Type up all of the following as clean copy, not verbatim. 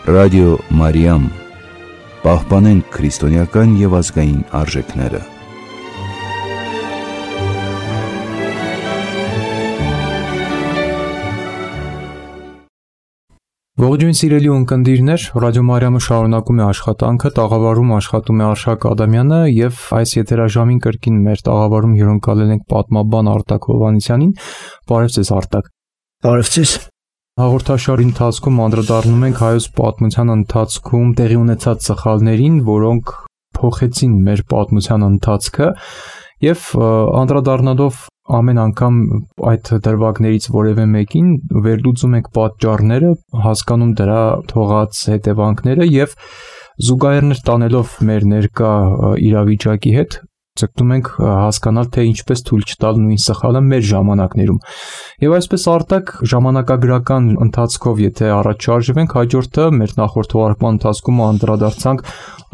Ռադիո Մարիամ, պահպանենք քրիստոնեական և ազգային արժեքները։ Ողջույն սիրելի ունկնդիրներ, Ռադիո Մարիամը շարունակում է աշխատանքը, տաղավարում աշխատում է Արշակ Ադամյանը և այս եթերաժամին կրկին մեր տաղավարում հյուրընկալել ենք պատմաբան Արտակ Հովհաննիսյանին։ Բարև ձեզ Արտակ։ Բարև ձեզ։ Հաղորդաշարի ընթացքում անդրադառնում ենք հայոց պատմության ընթացքում տեղի ունեցած սխալներին, որոնք փոխեցին մեր պատմության ընթացքը և անդրադառնալով ամեն անգամ այդ դրվագներից որևէ մեկին վերլուծում ենք պատճառները, հասկանում դրա թողած հետևանքները և զուգահեռներ տանելով մեր ներկա իրավիճակի հետ ցկտում ենք հասկանալ, թե ինչպես թույլ չտալ նույն սխալը մեր ժամանակներում։ Եվ այսպես Արտակ ժամանակագրական ընթացքով եթե առաջ շարժվենք, հաջորդը մեր նախորդ թողարկման ընթացքում անդրադարձանք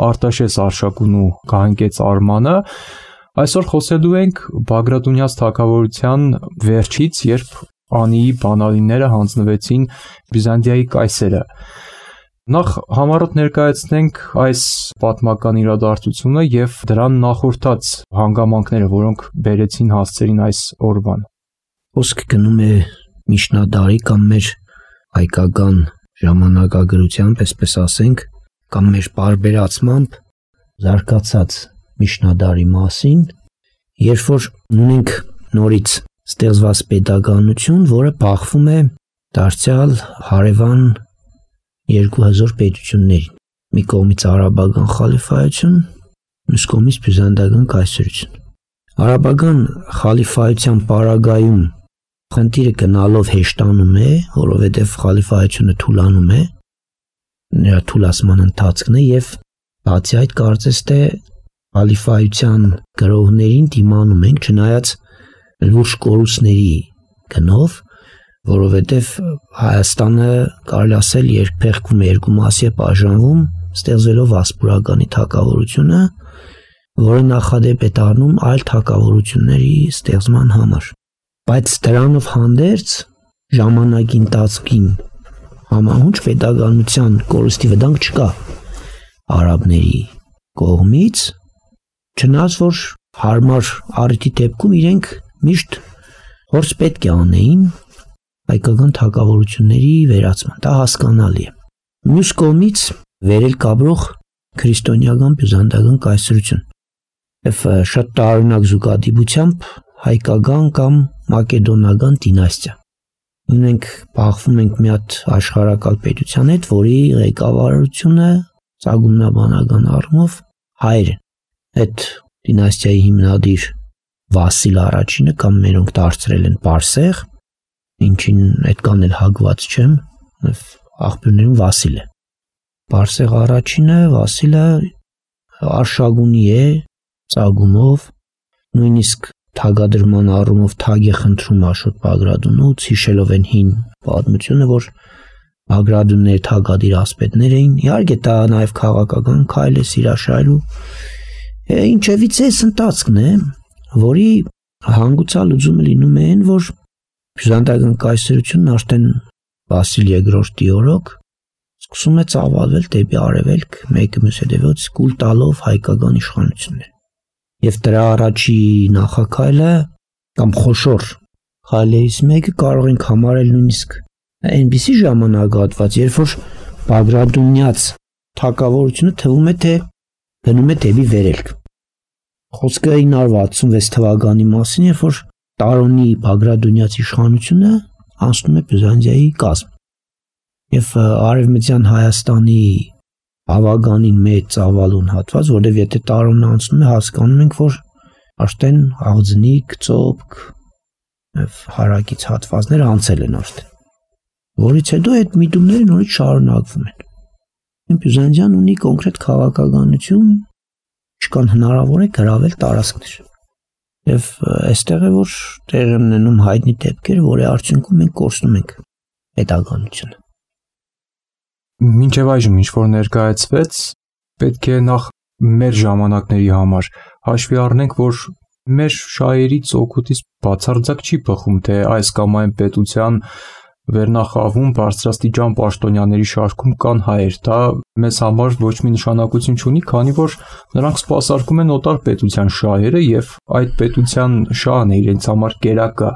Արտաշես Արշակուն ու Գահանկեց Արմանը։ Այսօր խոսելու ենք Բագրատունյաց թագավորության վերջից, երբ Անիի բանալիները հանձնվեցին Բյուզանդիայի կայսերը։ Նախ համառոտ ներկայացնենք այս պատմական իրադարձությունը և դրան նախորդած հանգամանքները, որոնք բերեցին հասցրին այս օրվան։ Խոսքը գնում է միջնադարի կամ մեր հայկական ժամանակագրությամբ, այսպես ասենք, կամ մեր պարբերացմամբ զարգացած միջնադարի մասին, երբ որ ունենք նորից ստեղծված պետականություն, որը բախվում է դարձյալ հարևան երկու հզոր պետություններին։ Մի կողմից արաբական խալիֆայություն, մյուս կողմից բյուզանդական կայսրություն։ Արաբական խալիֆայության պարագայում խնդիրը գնալով հեշտանում է, որովհետև խալիֆայությունը թուլանում է, նրա թուլացման ընթացքն է և բացի այդ կարծես թե խալիֆայության գրողներին դիմանում ենք, չնայած լուրջ կորուստների գնով, որովհետև Հայաստանը կարելի ասել երկփեղկվում է, երկու մասի է բաժանվում, ստեղծվելով ասպուրականի թագավորությունը, որը նախադեպ է դառնում այլ թագավորությունների ստեղծման համար։ Բայց դրանով հանդերձ ժամանակի ընթացքին համահունչ պետականության կորստի վտանգ չկա արաբների կողմից, չնայած որ հարմար առիթի դեպքում իրենք միշտ փորձ պետք է անեին հայկական թագավորությունների վերացման, դա հասկանալի է։ Մյուս կողմից վերելք ապրող քրիստոնեական բյուզանդական կայսրություն և շատ տարօրինակ զուգադիպությամբ հայկական կամ մակեդոնական դինաստիա։ Ունենք բախվում ենք մի հատ աշխարհակալ պետության հետ, որի ղեկավարությունը ծագումնաբանական առումով հայեր են։ Այդ դինաստիայի հիմնադիր Վասիլ առաջինը կամ մերոնք դարձրել են Պարսեղ, ինչին այդքան էլ հակված չեմ, աղբյուրներում Վասիլ է։ Պարսեղ առաջինը Վասիլը Արշակունի է ծագումով, նույնիսկ թագադրման առումով թագ է խնդրում Աշոտ Բագրատունուց, հիշելով են հին պատմությունը, որ Բագրատունները թագադիր ասպետներ էին։ Իհարկե դա նաև քաղաքական քայլ է, սիրաշահելու ինչևից էս ընթացքն է, որի հանգուցալուծումը լինում է այն, որ բյուզանդական կայսրությունն արդեն Վասիլ II-ի օրոք սկսում է ծավալվել դեպի արևելք, մեկը մյուս հետևից կուլ տալով հայկական իշխանություններ։ Եվ դրա առաջի նախաքայլը կամ խոշոր քայլերից մեկը կարող ենք համարել նույնիսկ այնպիսի ժամանակահատված, երբ որ Բագրատունյաց թագավորությունը թվում է թե գնում է դեպի վերելք։ Խոսքը 966 թվականի մասին, երբ որ Տարոնի Բագրատունյաց իշխանությունը անցնում է Բյուզանդիայի կազմ։ Եվ արևմտյան Հայաստանի բավականին մեծ ծավալուն հատված, որտեղ եթե Տարոնը անցնում է, հասկանում ենք, որ արդեն Աղձնիկ, Ծոպք եւ հարակից հատվածները անցել են արդեն։ Որից հետո այդ միտումները նորից շարունակվում են։ Բյուզանդիան ունի կոնկրետ քաղաքականություն, ինչքան հնարավոր է գրավել տարածքներ։ Եվ այստեղ է որ տեղ են ունենում հայտնի դեպքեր, որի արդյունքում մենք կորցնում ենք պետականությունը։ Մինչև այժմ ինչ որ ներկայացվեց, պետք է նախ մեր ժամանակների համար հաշվի առնենք, որ մեր շահերից օգուտից բացարձակ չի բխում, թե այս կամ այն պետության վերնախավում բարձրաստիճան պաշտոնյաների շարքում կան հայեր, դա մեզ համար ոչ մի նշանակություն չունի, քանի որ նրանք սպասարկում են օտար պետության շահերը եւ այդ պետության շահն է իրենց համար կերակա,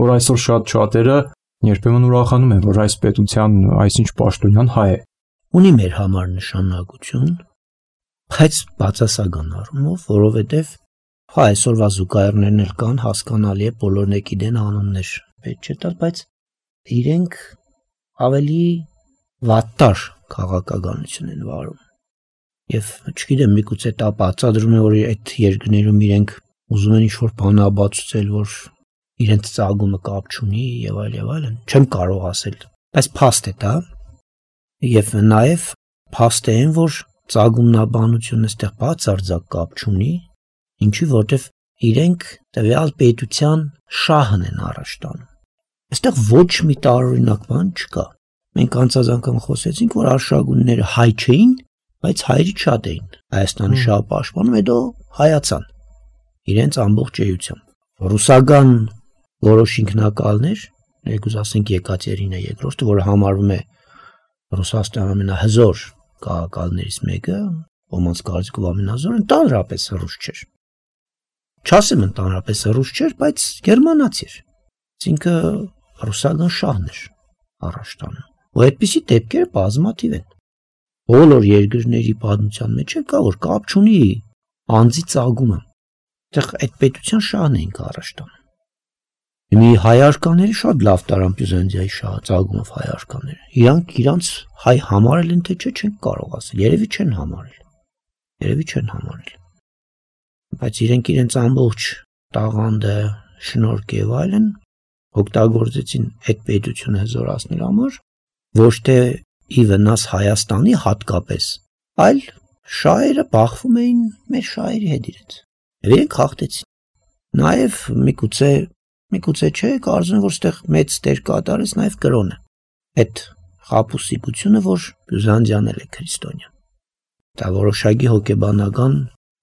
որ այսօր շատ-շատերը երբեմն ուրախանում են, որ այս պետության այսինչ պաշտոնյան հայ է։ Ունի մեր համար նշանակություն, բայց բացասական առումով, որովհետեւ այսօրվա զուգահեռներն էլ կան, հասկանալի է, բոլորն գիտեն անուններ, պետք չէ տալ, բայց իրենք ավելի վատտար քաղաքականություն են վարում։ Եվ չգիտեմ, միգուցե դա բացատրում է, որ այդ երկրներում իրենք ուզում են ինչ-որ բանաբացուցել, որ իրենց ծագումը կապ չունի եւ այլն, չեմ կարող ասել, բայց փաստ է դա։ Եվ նաեւ փաստ է, որ ծագումնաբանությունը այստեղ բացարձակ կապ չունի, ինչի որտեվ իրենք տվյալ պետության շահն են առաջ տանում։ Այստեղ ոչ մի տարօրինակ բան չկա։ Մենք անցած անգամ խոսեցինք, որ արշակունները հայ չէին, բայց հայրից շատ էին։ Հայաստանի շահը պաշտպանում, հետո հայացան իրենց ամբողջ էությամբ։ Ռուսական որոշ ինքնակալներ, եկուզ ասենք Եկատերինա II, որը համարվում է Ռուսաստանի ամենահզոր քաղաքալներից մեկը, ոմանց կարծիքով ամենազորը, ընդհանրապես ռուս չէր։ Չասեմ ընդհանրապես ռուս չէր, բայց գերմանացի էր։ Այսինքն ռուսական շահն էր առաջ տանում։ Ու այդպիսի դեպքերը բազմաթիվ են։ Բոլոր երկրների պատմության մեջ կա, որ կապ չունի անձի ծագումը։ Այդտեղ այդ պետության շահն էին առաջ տանում։ Մի հայարկաները շատ լավ տարան Բյուզանդիայի շահը ծագումով հայարկաները։ Իրանք իրանց հայ համարել են, թե չէ, չեն կարող ասել։ Երևի չեն համարել։ Բայց իրենք իրենց ամբողջ տաղանդը, շնորհք եւ այլն օգտագործեցին այդ պետությունը հզորացնելու համար, ոչ թե ի վնաս Հայաստանի հատկապես, այլ շահերը բախվում էին մեր շահերի հետ իրենց։ Եվ իրենք հաղթեցին։ Նաեւ միգուցե չէ, կարծում եմ, որ այդտեղ մեծ դեր կատարեց նաև կրոնը։ Այդ խաբուսիկությունը, որ Բյուզանդիան է քրիստոնյա։ Դա որոշակի հոգեբանական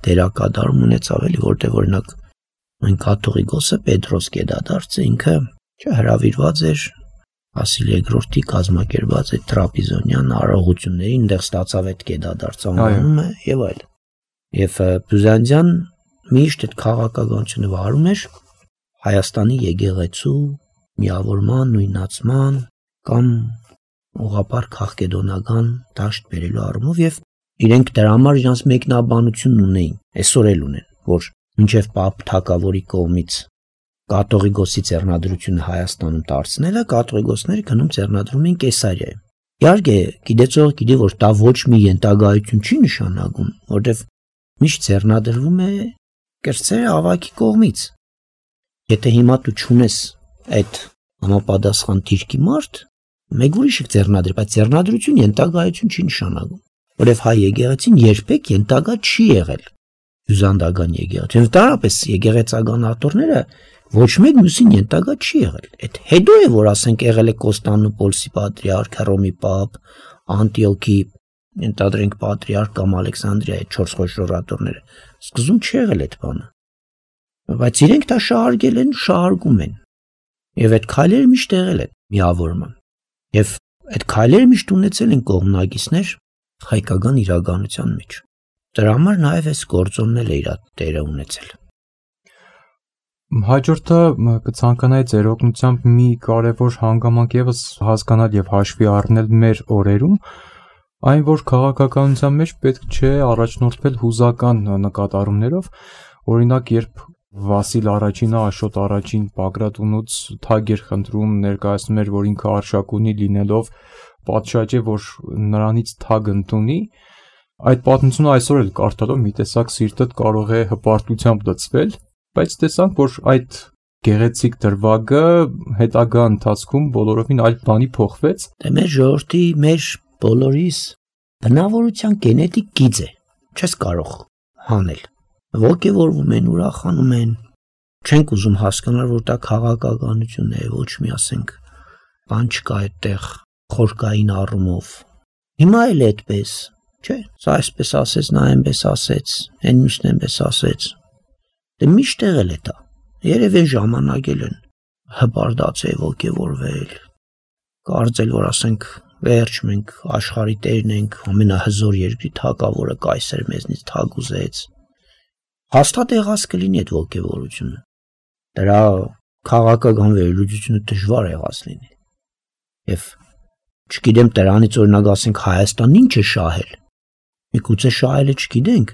դերակատարում ունեցավ էլի, որտեղ օրինակ այն կաթողիկոսը Պետրոս Գեդադարձը ինքը հրավիրված էր Վասիլի II-ի կազմակերպած այդ տրապիզոնյան արարողություններին, այնտեղ ստացավ այդ Գեդադարձ անվանումը եւ այլն։ Եվ Բյուզանդիան միշտ այդ քաղաքականությունը վարում էր Հայաստանի եկեղեցու միավորման, նույնացման կամ ուղղափառ քաղաքեդոնական դաշտ բերելու առումով եւ իրենք դրա համար իրենց մեկնաբանությունն ունեին, այսօր էլ ունեն, որ մինչև Պապ Թագավորի կողմից կաթողիկոսի ձեռնադրությունը Հայաստանում դարձնելը կաթողիկոսները գնում ձեռնադրում են Կեսարիայում։ Իհարկե, գիտեցող գիտի, որ դա ոչ մի ենթագայություն չի նշանակում, որտեղ միշտ ձեռնադրվում է կրծերը ավակի կողմից։ Եթե հիմա դու չունես այդ համապատասխան դիրքի մարդ, մեկ ուրիշը ձեռնադրի, բայց ձեռնադրություն ենթագայություն չի նշանակում, որովհետև հայ եկեղեցին երբեք ենթագա չի եղել բյուզանդական եկեղեցին։ Ընդհանրապես եկեղեցական աթոռները ոչ մեկ մյուսին ենթագա չի եղել։ Այդ հետո է, որ ասենք եղել է Կոստանդնուպոլսի պատրիարք, Հռոմի պապ, Անտիոքի ենթադրենք պատրիարք կամ Ալեքսանդրիայի 4 խոշոր աթոռները։ Սկզբում չի եղել այդ բանը։ Բայց իրենք դա շահարկել են, շահարկում են։ Եվ այդ քայլերը միշտ եղել են միավորման։ Եվ այդ քայլերը միշտ ունեցել են կողմնակիցներ հայկական իրականության մեջ։ Դրա համար նաև այս գործոնն էլ է իր դերը ունեցել։ Հաջորդը կցանկանայի ձեր օգնությամբ մի կարևոր հանգամանք եւս հասկանալ եւ հաշվի առնել մեր օրերում, այն որ քաղաքականության մեջ պետք չէ առաջնորդվել հուզական նկատառումներով, օրինակ երբ Վասիլ առաջինը Աշոտ առաջին Բագրատունուց թագ էր խնդրում, ներկայացնում էր, որ ինքը արշակ ունի լինելով պատշաճ է, որ նրանից թագ ընդունի, այդ պատմությունը այսօր էլ կարդալով մի տեսակ սիրտդ կարող է հպարտությամբ լցվել, բայց տեսանք, որ այդ գեղեցիկ դրվագը հետագա ընթացքում բոլորովին այլ բանի փոխվեց։ Դե մեր ժողովրդի, մեր բոլորիս բնավորության գենետիկ գիծ է, չես կարող հանել։ Ոգևորվում են, ուրախանում են, չենք ուզում հասկանալ, որ դա քաղաքականություն է, ոչ մի ասենք, բան չկա այդտեղ խորքային առումով։ Հիմա էլ այդպես, չէ, սա այսպես ասեց, նա այնպես ասեց, այն մյուսն այնպես ասեց։ Դե միշտ եղել է դա։ Երևի ժամանակել են հպարտացել, ոգևորվել։ կարծել, որ ասենք վերջ մենք աշխարհի տերն ենք, ամենահզոր երկրի թագավորը կայսեր մեզնից թագ ուզեց։ Հաստատ եղած կլինի այդ ոգևորությունը։ Դրա քաղաքական վերլուծությունը դժվար եղած լինի։ Եվ չգիտեմ դրանից օրինակ ասենք Հայաստանն ինչ է շահել։ Միգուցե շահելը չգիտենք,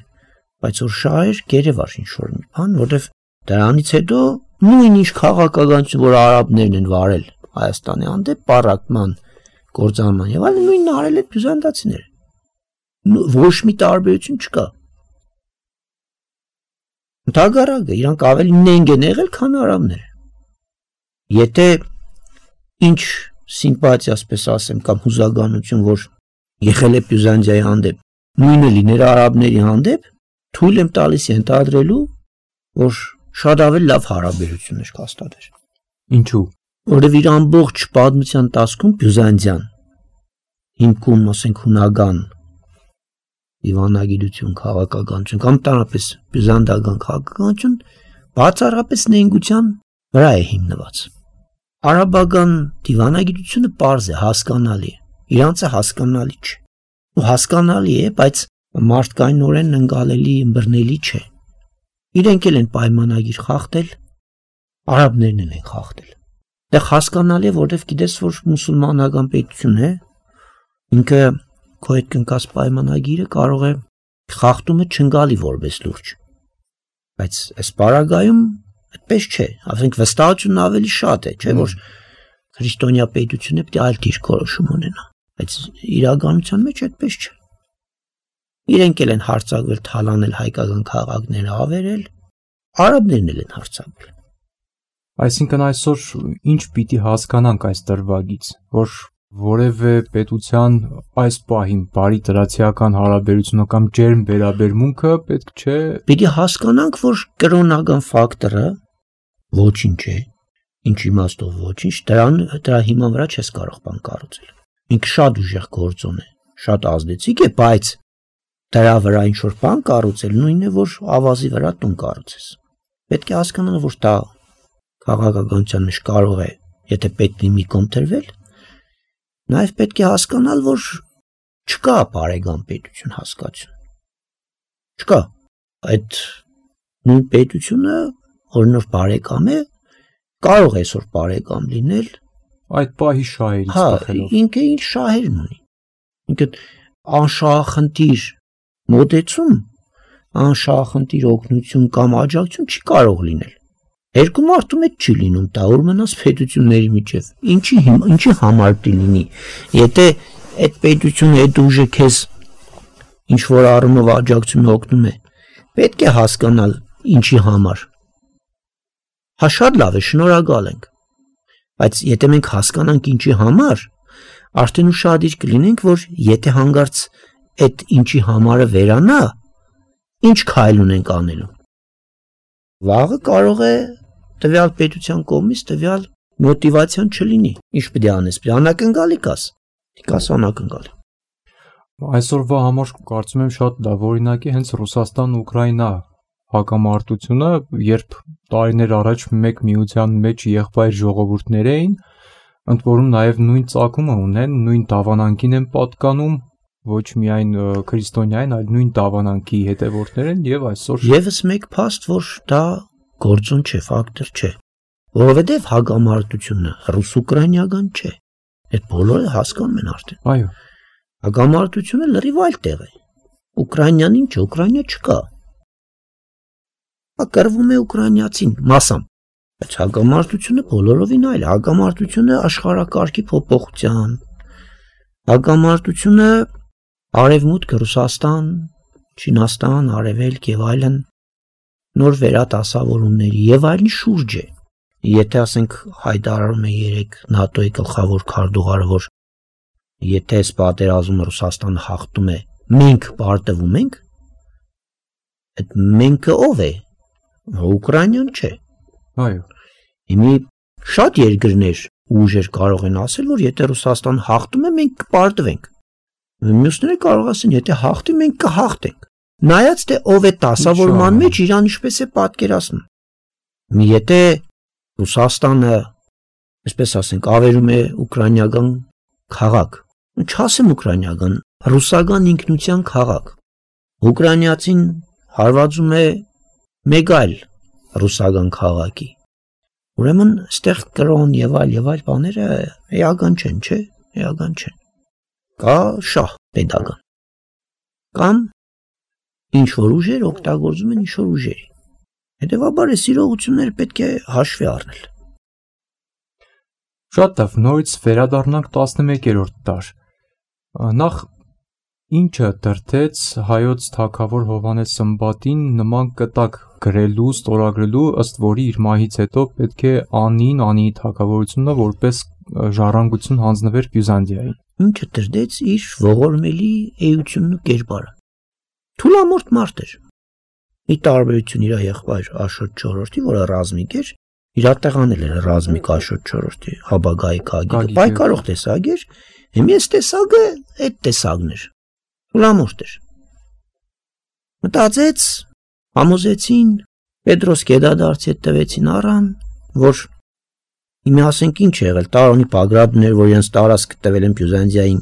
բայց որ շահեր գերեվար ինչ-որ մի բան, որովհետև դրանից հետո նույն-ինչ քաղաքականություն, որ արաբներն են վարել Հայաստանի հանդեպ, պառակտման, կործանման եւ այլն, նույնն արել են բյուզանդացիները։ Ոչ մի տարբերություն չկա։ Ընդհակառակը իրանք ավելի նենգ են եղել, քան արաբները։ Եթե ինչ սիմպաթիա, ասպես ասեմ, կամ հուզագանություն, որ եղել է Բյուզանդիայի հանդեպ, նույնը լիներ արաբների հանդեպ, թույլ եմ տալիս ենթադրելու, որ շատ ավելի լավ հարաբերություններ կհաստատեր։ Ինչու՞։ Որովհետև իր ամբողջ պատմության ընթացքում Բյուզանդիան հիմքում, ասենք, հունական դիվանագիտություն, քաղաքականություն կամ տարապես բյուզանդական քաղաքականություն բացառապես նենգության վրա է հիմնված։ Արաբական դիվանագիտությունը պարզ է, հասկանալի է, իրանցը հասկանալի չէ։ Ու հասկանալի է, բայց մարդկայնորեն ընկալելի, ըմբռնելի չէ։ Իրենք էլ են պայմանագիր խախտել, արաբներն են խախտել։ Դե հասկանալի է, որովհետև գիտես, որ մուսուլմանական պետություն է, ինքը քո հետ կնքած պայմանագիրը կարող է խախտումը չընկալի որպես լուրջ։ Բայց այս պարագայում այդպես չէ, ասենք վստահությունն ավելի շատ է, չէ՞ որ քրիստոնյա պետությունը պետք է այլ դիրքորոշում ունենա, բայց իրականության մեջ այդպես չէ։ Իրենք էլ են հարձակվել, թալանել հայկական քաղաքները, ավերել, արաբներն էլ են հարձակվել։ Այսինքն այսօր ինչ պիտի հասկանանք այս դրվագից, որ որևէ պետության այս պահին բարի տրացիական հարաբերությունը կամ ջերմ վերաբերմունքը պետք չէ։ Պիտի հասկանանք, որ կրոնական ֆակտորը ոչինչ է, ինչ իմաստով ոչինչ, դրա հիման վրա չես կարող բան կառուցել։ Ինքը շատ ուժեղ գործոն է, շատ ազդեցիկ է, բայց դրա վրա ինչ որ բան կառուցել նույնն է, որ ավազի վրա տուն կառուցես։ Պետք է հասկանալ, որ դա քաղաքականության մեջ կարող է, եթե պետք լինի կոնտրվել, նաև պետք է հասկանալ, որ չկա բարեկամ պետություն հասկացություն։ Չկա։ Այդ նույն պետությունը, որ նոր բարեկամ է, կարող է այսօր բարեկամ լինել այդ պահի շահերից տախելով։ Ինքը ինչ շահերն ունի։ Ինքը անշահախնդիր մոտեցում, անշահախնդիր օգնություն կամ աջակցություն չի կարող լինել։ Երկու մարդու մեջ չի լինում, դա որ մնաց պետությունների միջև։ Ինչի համար պիտի լինի։ Եթե այդ պետությունը այդ ուժը քեզ ինչ որ առումով աջակցում օգնում է, պետք է հասկանալ ինչի համար։ Հա շատ լավ է, շնորհակալ ենք։ Բայց եթե մենք հասկանանք ինչի համար, արդեն ուշադիր կլինենք, որ եթե հանգարց այդ ինչի համարը վերանա, ինչ քայլ ունենք անելու։ Վաղը կարող է տվյալ պետության կողմից տվյալ մոտիվացիան չլինի։ Ինչ պետք է անես, պետք է անակնկալի կաս։ Դիկաս անակնկալի։ Այսօրվա համար կարծում եմ շատ լավ օրինակ է հենց Ռուսաստան-Ուկրաինա հակամարտությունը, երբ տարիներ առաջ մեկ միության մեջ եղբայր ժողովուրդներ էին, ընդ որում նաև նույն ծագումը ունեն, նույն դավանանքին են պատկանում, ոչ միայն քրիստոնյային, այլ նույն դավանանքի հետևորդներ են եւ այսօր եւս մեկ փաստ, որ դա գործոն չէ, ֆակտոր չէ, որովհետեւ հակամարտությունը ռուս-ուկրաինական չէ։ Այդ բոլորը հասկանում են արդեն։ Այո։ Հակամարտությունը լրիվ այլ տեղ է։ Ուկրաինան ինչ է, Ուկրաինա չկա։ Կռվում է ուկրաինացին մասամբ, բայց հակամարտությունը բոլորովին այլ է։ Հակամարտությունը աշխարհակարգի փոփոխության, հակամարտությունը Արևմուտք, Ռուսաստան, Չինաստան, Արևելք եւ այլն նոր վերադասավորումների եւ այլն շուրջ է։ Եթե ասենք հայտարարում է 3 ՆԱՏՕ-ի գլխավոր քարտուղարը, որ եթե այս պատերազմը Ռուսաստանը հաղթում է, մենք պարտվում ենք, այդ մենքը ով է։ Ուկրաինան չէ։ Այո։ Հիմի շատ երկրներ ուժեր կարող են ասել, որ եթե Ռուսաստան հաղթում է, մենք կպարտվենք։ Մյուսները կարող ասեն, եթե հաղթի, մենք կհաղթենք։ Նայած թե ով է դասավորման մեջ իրան ինչպես է պատկերացնում։ Եթե Ռուսաստանը այսպես ասենք, ավերում է ուկրաինական քաղաք, չասեմ ուկրաինական, ռուսական ինքնության քաղաք, ուկրաինացին հարվածում է մեկ այլ ռուսական քաղաքի, ուրեմն ստեղ կրոն եւ այլ բաները էական չեն, չէ, էական չեն, կա շահ պետական, կամ ինչ-որ ուժեր օգտագործում են ինչ-որ ուժերի, հետևաբար այս իրողությունները պետք է հաշվի առնել։ Շատ լավ, նորից վերադառնանք 11-րդ դար։ Նախ ինչը դրդեց հայոց թագավոր Հովհաննես Սմբատին նման կտակ գրելու, ստորագրելու, ըստ որի իր մահից հետո պետք է անի թագավորությունը որպես ժառանգություն հանձնվեր Բյուզանդիային։ Ինչը դրդեց իր ողորմելի էությունն ու կերպարը։ Թուլամորթ մարդ էր։ Ի տարբերություն իր եղբայր Աշոտ IV-ի, որը ռազմիկ էր, իրատեղանել էր ռազմիկ Աշոտ IV-ի, Հաբագայի Գագիկը, պայքարող տեսակ էր, հիմա այս տեսակը այդ տեսակն էր։ Թուլամորթ էր։ Մտածեց, համոզեցին, Պետրոս Գեդադարցի հետ տվեցին առան, որ հիմա ասենք ինչ է եղել, Տարոնի Բագրատն էր, որ իրենց տարածք տվել են Բյուզանդիային,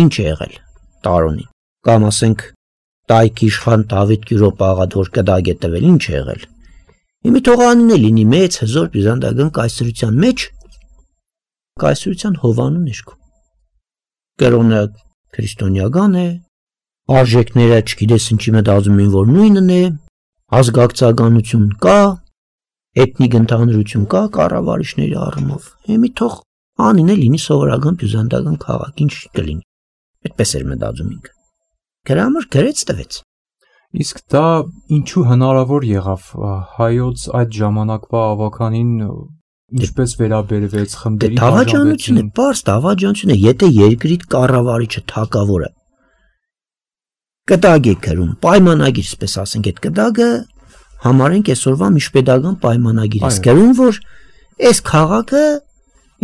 ինչ է եղել Տարոնին, կամ ասենք Տայք իշխան Դավիթ Գյուրոպ աղադ, որ կդագ է տվել, ինչ է եղել։ Հիմա թող անին է լինի մեծ հզոր բյուզանդական կայսրության մեջ, կայսրության հովանու ներքո։ Կրոնը քրիստոնեական է, արժեքները չգիտես ինչի մտածում են, որ նույնն է, ազգակցականություն կա, էթնիկ ընդհանրություն կա կառավարիչների առումով։ Հիմա թող անին է լինի սովորական բյուզանդական քաղաք, ինչ կլինի։ Այդպես էր մտածում ինքը։ Գրամր գրեց տվեց։ Իսկ դա ինչու հնարավոր եղավ հայոց այդ ժամանակվա ավականին ինչպես վերաբերվեց խմբերի դավաճանությունը, պարզ դավաճանությունը, եթե երկրի կառավարիչը թագավորը կտագ է գրում, պայմանագիր, այսպես ասենք, այդ կտագը համարենք այսօրվա միջպետական պայմանագիր է գրում, որ այս քաղաքը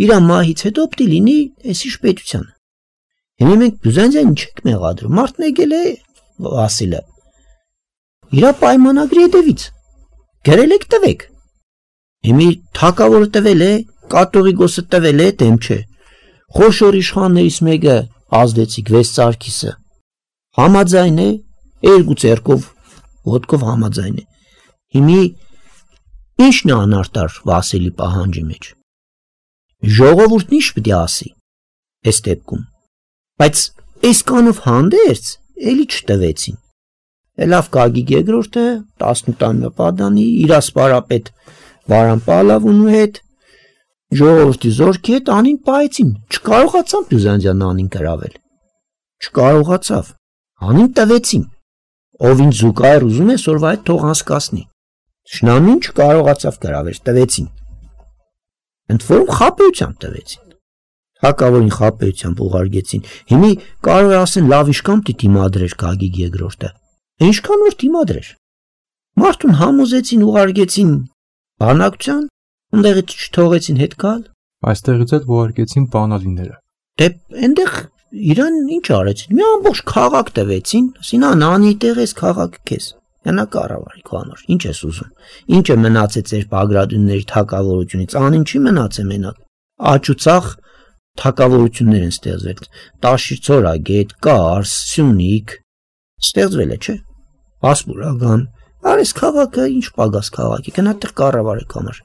իր մահից հետո պիտի լինի այսիշ պետության։ Հիմա մենք Բյուզանդիային չենք մեղադրում, մարդն եկել է Վասիլը։ Իրա պայմանագրի հետևից գրել եք տվեք։ Հիմա թագավորը տվել է, կաթողիկոսը տվել է, դեմ չէ։ Խոշոր իշխաններից մեկը ազդեցիկ Վես Սարգիսը համաձայն է, երկու ձեռքով ոտքով համաձայն է։ Հիմա ինչն է անարտար Վասիլի պահանջի մեջ։ Ժողովուրդն ինչ պետք է ասի այս դեպքում։ Բայց այսքանով հանդերձ էլի չտվեցին։ Լավ Գագիկ երկրորդը 18-ամյա պատանի իր ասպարապետ Վարան Պալավունու հետ ժողովրդի զորքի հետ անին պայեցին, չկարողացան Բյուզանդիան անին գրավել։ Չկարողացավ։ Անին տվեցին։ Ով ինչ զուգահեռ ուզում է սորվա այդ թող անցկացնի։ Շնամին չկարողացավ գրավել, տվեցին։ Ընդ որում խաբեությամբ տվեցին։ Հակավորին խաբեությամբ ուղարկեցին։ Հիմա կարող է ասեն լավ իշքան դիմադրեր Գագիկ երկրորդը։ Ինչքան որ դիմադրեր։ Մարդուն համոզեցին, ուղարկեցին բանակցության, ընդեղից չթողեցին հետ գալ։ Այստեղից էլ ուղարկեցին բանալիները։ Դե այնտեղ իրան ինչ արեցին։ Մի ամբողջ քաղաք տվեցին, ասին անի տեղ էս քաղաքը քեզ։ Յանա կառավարի քո համար։ Ինչ ես ուզում։ Ինչը մնացեց ձեր Բագրատունների թակավորությունից, անին չի մնացել մենակ։ Աճուցախ թակավորություններ են ստեղծվել, Տաշիրցորագետ, Կարս, Սյունիք, ստեղծվել է, չէ։ Ասպուրական, արես քաղաքը ինչ պագաս քաղաքի, գնա տեղ կառավարեք համար։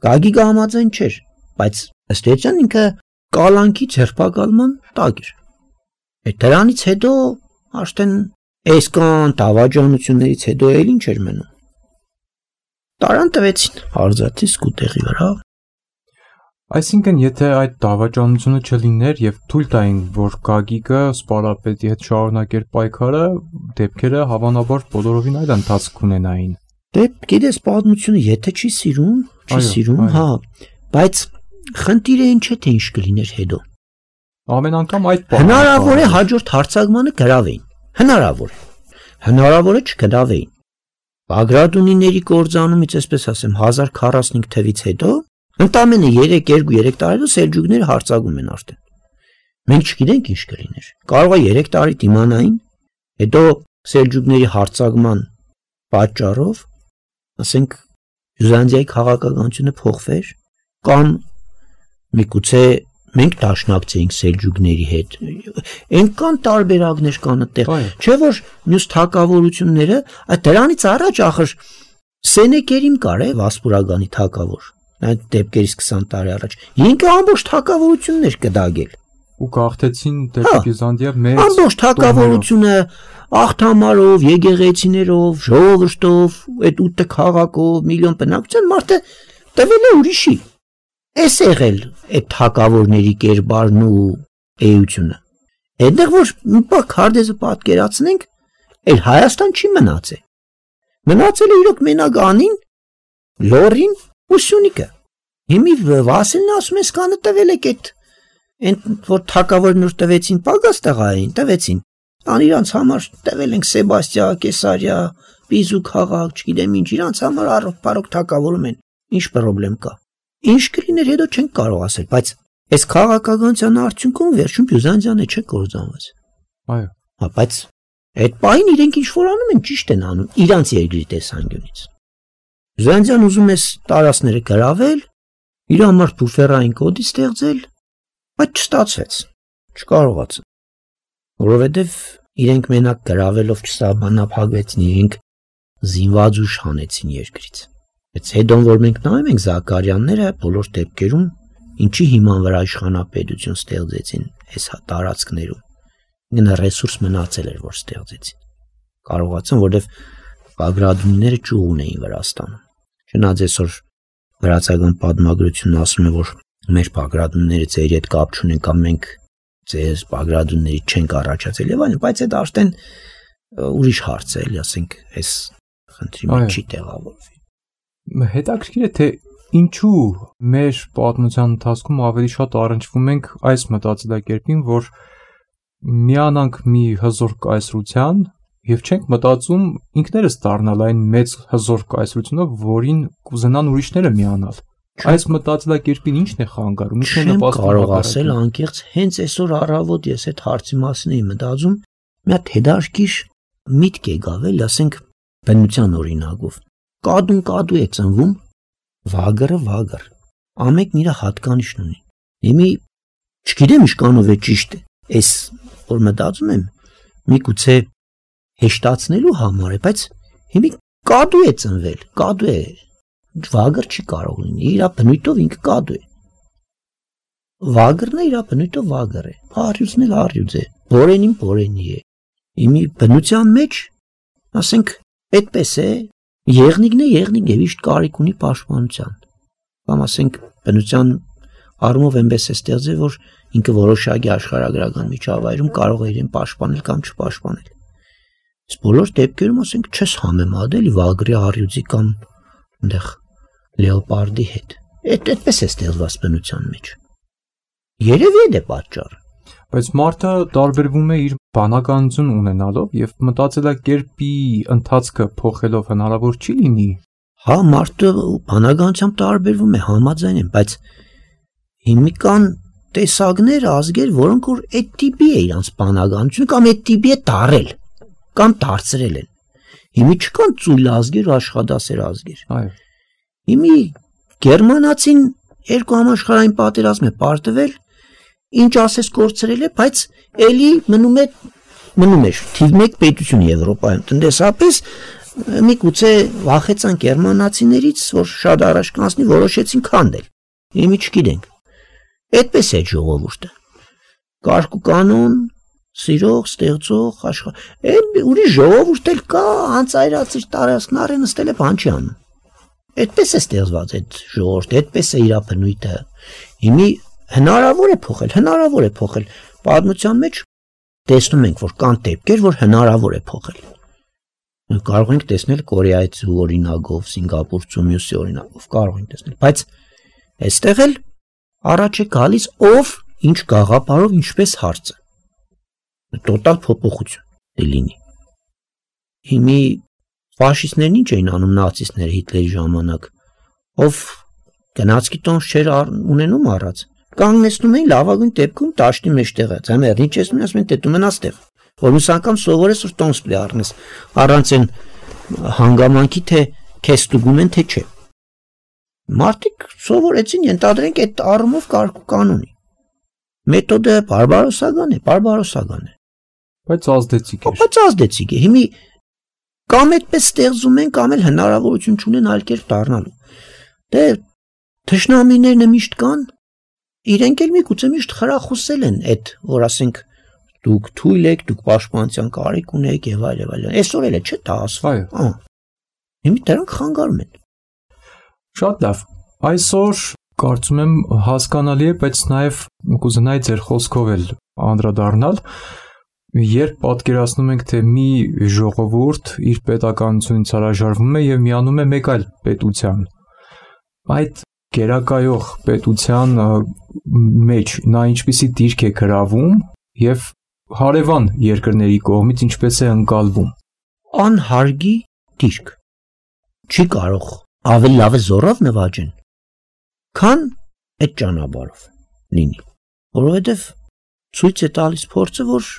Գագիկը համաձայն չէր, բայց ըստ էության ինքը կալանքի ձերբակալման տակ էր։ Այդ դրանից հետո արդեն այսքան դավաճանություններից հետո էլ ինչ էր մնում։ Տարան տվեցին Արզաթի սկուտեղի վրա։ Այսինքն, եթե այդ դավաճանությունը չլիներ եւ թույլ տային, որ Գագիկը սպարապետի հետ շարունակեր պայքարը, դեպքերը հավանաբար բոլորովին այլ ընթացք ունենային։ Դե գիտես պատմությունը եթե չի սիրում, հա, բայց խնդիրը ինչ է թե ինչ կլիներ հետո։ Ամեն անգամ այդ բանը հնարավոր է հաջորդ հարձակմանը գրավեին։ Հնարավոր է չգրավեին։ Բագրատունիների կործանումից, այսպես ասեմ, 1045 թվից հետո ընդամենը 2-3 տարի սելջուկները հարձակում են արդեն։ Մենք չգիտենք ինչ կլիներ։ Կարող է 3 տարի դիմանային, հետո սելջուկների հարձակման պատճառով, ասենք, Բյուզանդիայի քաղաքականությունը փոխվեր, կամ Միգուցե մենք դաշնակցեինք սելջուկների հետ։ Այնքան տարբերակներ կան այդտեղ։ Չէ՞ որ մյուս թագավորությունները, դրանից առաջ ախր Սենեկերիմ կար է Վասպուրագանի թագավոր։ Այդ դեպքերից 20 տարի առաջ։ Ինքը ամբողջ թագավորություններ կդագել։ Ու գաղթեցին դեպի Բյուզանդիա մեծ ամբողջ թագավորությունը աղթամարով, եկեղեցիներով, ժողովրդով, այդ 8 քաղաքով, միլիոն բնակության մարդը տվել է ուրիշի։ Էս եղել այդ թագավորների կերպարն ու էությունը։ Այնտեղ որ մի պահ քարտեզը պատկերացնենք, այլ Հայաստան չի մնացել։ Մնացել է իրոք մենակ Անին, Լորին ու Սյունիքը։ Հիմի Վասիլն ասում է սկանը տվել եք այդ որ թագավորն որ տվեցին Պագաս տղային, տվեցին։ Ան իրանց համար տվել ենք Սեբաստիա, Կեսարիա, Պիզու քաղաք, չգիտեմ ինչ, իրանց համար առողջ թագավորում են։ Ինչ խնդրեմ կա։ Ինչ կլիներ հետո չենք կարող ասել, բայց այս քաղաքականության արդյունքում վերջում Բյուզանդիան չէ կործանված։ Այո։ Հա, բայց այդ պահին իրենք ինչ որ անում են, ճիշտ են անում իրանց երկրի տեսանկյունից։ Բյուզանդիան ուզում է տարածքները գրավել, իր համար բուֆերային կոդի ստեղծել, բայց չստացվեց, չկարողացան։ Որովհետև իրենք մենակ գրավելով չսահմանափակվեցին, իրենք զինված ուժ հանեցին երկրից։ Բայց հետո որ մենք նայում ենք Զաքարյանները բոլոր դեպքերում ինչի հիման վրա իշխանապետություն ստեղծեցին այս տարածքներում։ Ինքն ռեսուրս մնացել էր որ ստեղծեցին։ Կարողացան, որովհետև Բագրատունիները ճուղ ունեին Վրաստանում։ Չնայած այսօր վրացական պատմագրությունն ասում է, որ մեր Բագրատունիները ձերի հետ կապ չունեն կամ մենք ձեր Բագրատունիների չենք առաջացել եւ այլն, բայց այդ արդեն ուրիշ հարց է, էլի ասենք, այս խնդրի մեջ չի տեղավորվի։ Հետաքրքիր է թե ինչու մեր պատմության ընթացքում ավելի շատ առնչվում ենք այս մտածելակերպին, որ միանանք մի հզոր կայսրության եւ չենք մտածում ինքներս դառնալ այն մեծ հզոր կայսրությունը, որին կուզենան ուրիշները միանալ։ Այս մտածելակերպին ի՞նչն է խանգարում, ի՞նչն է նպաստում։ Կարող ասել անկեղծ հենց այսօր առավոտ ես այդ հարցի մասին էի մտածում, մի հատ հետարքիր միտք եկավ, ասենք բնության օրինակով։ Կադուն կադու է ծնվում, վագրը վագր։ Ամենքն իր հատկանիշն ունի։ Հիմի չգիտեմ ինչքանով է ճիշտ է։ Այս որ մտածում եմ, միգուցե հեշտացնելու համար է, բայց հիմի կադու է ծնվել, կադու է։ Վագր չի կարող լինի, իր բնույթով ինքը կադու է։ Վագրն է իր բնույթով վագր է, արյուծն էլ արյուծ է, բորենին բորենի է։ Իմի բնության մեջ, ասենք, այդպես է, եղնիկն է եղնիկ եւ իշտ կարիք ունի պաշտպանության։ Կամ ասենք, բնության առումով այնպես է ստեղծել, որ ինքը որոշակի աշխարհագրական միջավայրում կարող է իրեն պաշտպանել կամ չպաշտպանել։ Իսկ բոլոր դեպքերում ասենք չես համեմատել վագրի արյուծի կամ այնտեղ լեոպարդի հետ։ Այդպես է ստեղծված բնության մեջ։ Երևի է պատճառը։ Բայց մարդը տարբերվում է իր բանականություն ունենալով եւ մտածելակերպի ընթացքը փոխելով հնարավոր չի լինի։ Հա, մարդը բանականությամբ տարբերվում է, համաձայն եմ, բայց հիմիկան տեսակներ, ազգեր, որոնք որ այդ տիպի է իրանց բանականությունը կամ այդ տիպի է դարել կամ դարձրել են։ Հիմի չկան ծույլ ազգեր, աշխատասեր ազգեր։ Այո։ Հիմի գերմանացին երկու համաշխարհային պատերազմ է պարտվել, ինչ ասես կորցրել է, բայց էլի մնում է թիվ 1 պետություն Եվրոպայում։ Տնտեսապես միգուցե վախեցան գերմանացիներից, որ շատ առաջ կանցնի, որոշեցին քանդել։ Հիմի չգիտենք։ Այդպես է ժողովուրդը։ Կարգ ու կանոն, սիրող, ստեղծող, այն ուրիշ ժողովուրդ էլ կա, անծայրացիր տարածքն առեն նստել է բան չի անում։ Այդպես է ստեղծված այդ ժողովուրդը, այդպես է իր բնույթը։ Հիմի հնարավոր է փոխել։ Պատմության մեջ տեսնում ենք, որ կան դեպքեր, որ հնարավոր է փոխել։ Կարող ենք տեսնել Կորեայից օրինակով, Սինգապուրցու մյուսի օրինակով, կարող ենք տեսնել, բայց այստեղ էլ առաջ է գալիս ով ինչ գաղափարով ինչպես հարցը։ Տոտալ փոփոխություն լինի։ Հիմի ֆաշիստներն ինչ էին անում նացիստները Հիտլերի ժամանակ, ով գնացքի տոմս չէր ունենում առած, կանգնեցնում էին լավագույն դեպքում տաշտի մեջտեղը, ձմեռ ինչ ես ասում են դու մնաս տեղ, որ մյուս անգամ սովորես որ տոմս պիտի առնես, առանց այն հանգամանքի թե քեզ ստուգում են թե չէ։ Մարդիկ սովորեցին ենթադրենք այդ առումով կարգ ու կանոնի։ Մեթոդը բարբարոսական է։ Բայց ազդեցիկ էր։ Բայց ազդեցիկ է։ Հիմի կամ այդպես ստեղծում են, կամ էլ հնարավորություն չունեն այլ կերպ դառնալու։ Դե թշնամիներն միշտ կան, իրենք էլ միգուցե միշտ խրախուսել են այդ, որ ասենք դուք թույլ եք, դուք պաշտպանության կարիք ունեք եւ այլ։ Այսօր էլ է չէ՞ դա ասվում։ Հիմա դրանք խանգարում են։ Շատ լավ։ Այսօր կարծում եմ հասկանալի է, բայց նաև կուզենայի ձեր խոսքով էլ անդրադառնալ, երբ պատկերացնում ենք, թե մի ժողովուրդ իր պետականությունից հրաժարվում է եւ միանում է մեկ այլ պետության, այդ գերակայող պետության մեջ նա ինչպիսի դիրք է գրավում եւ հարևան երկրների կողմից ինչպես է ընկալվում։ Անհարգի դիրք։ Չի կարող ավելի լավ զորով նվաճեն, քան այդ ճանապարհով լինի, որովհետև ցույց է տալիս փորձը, որ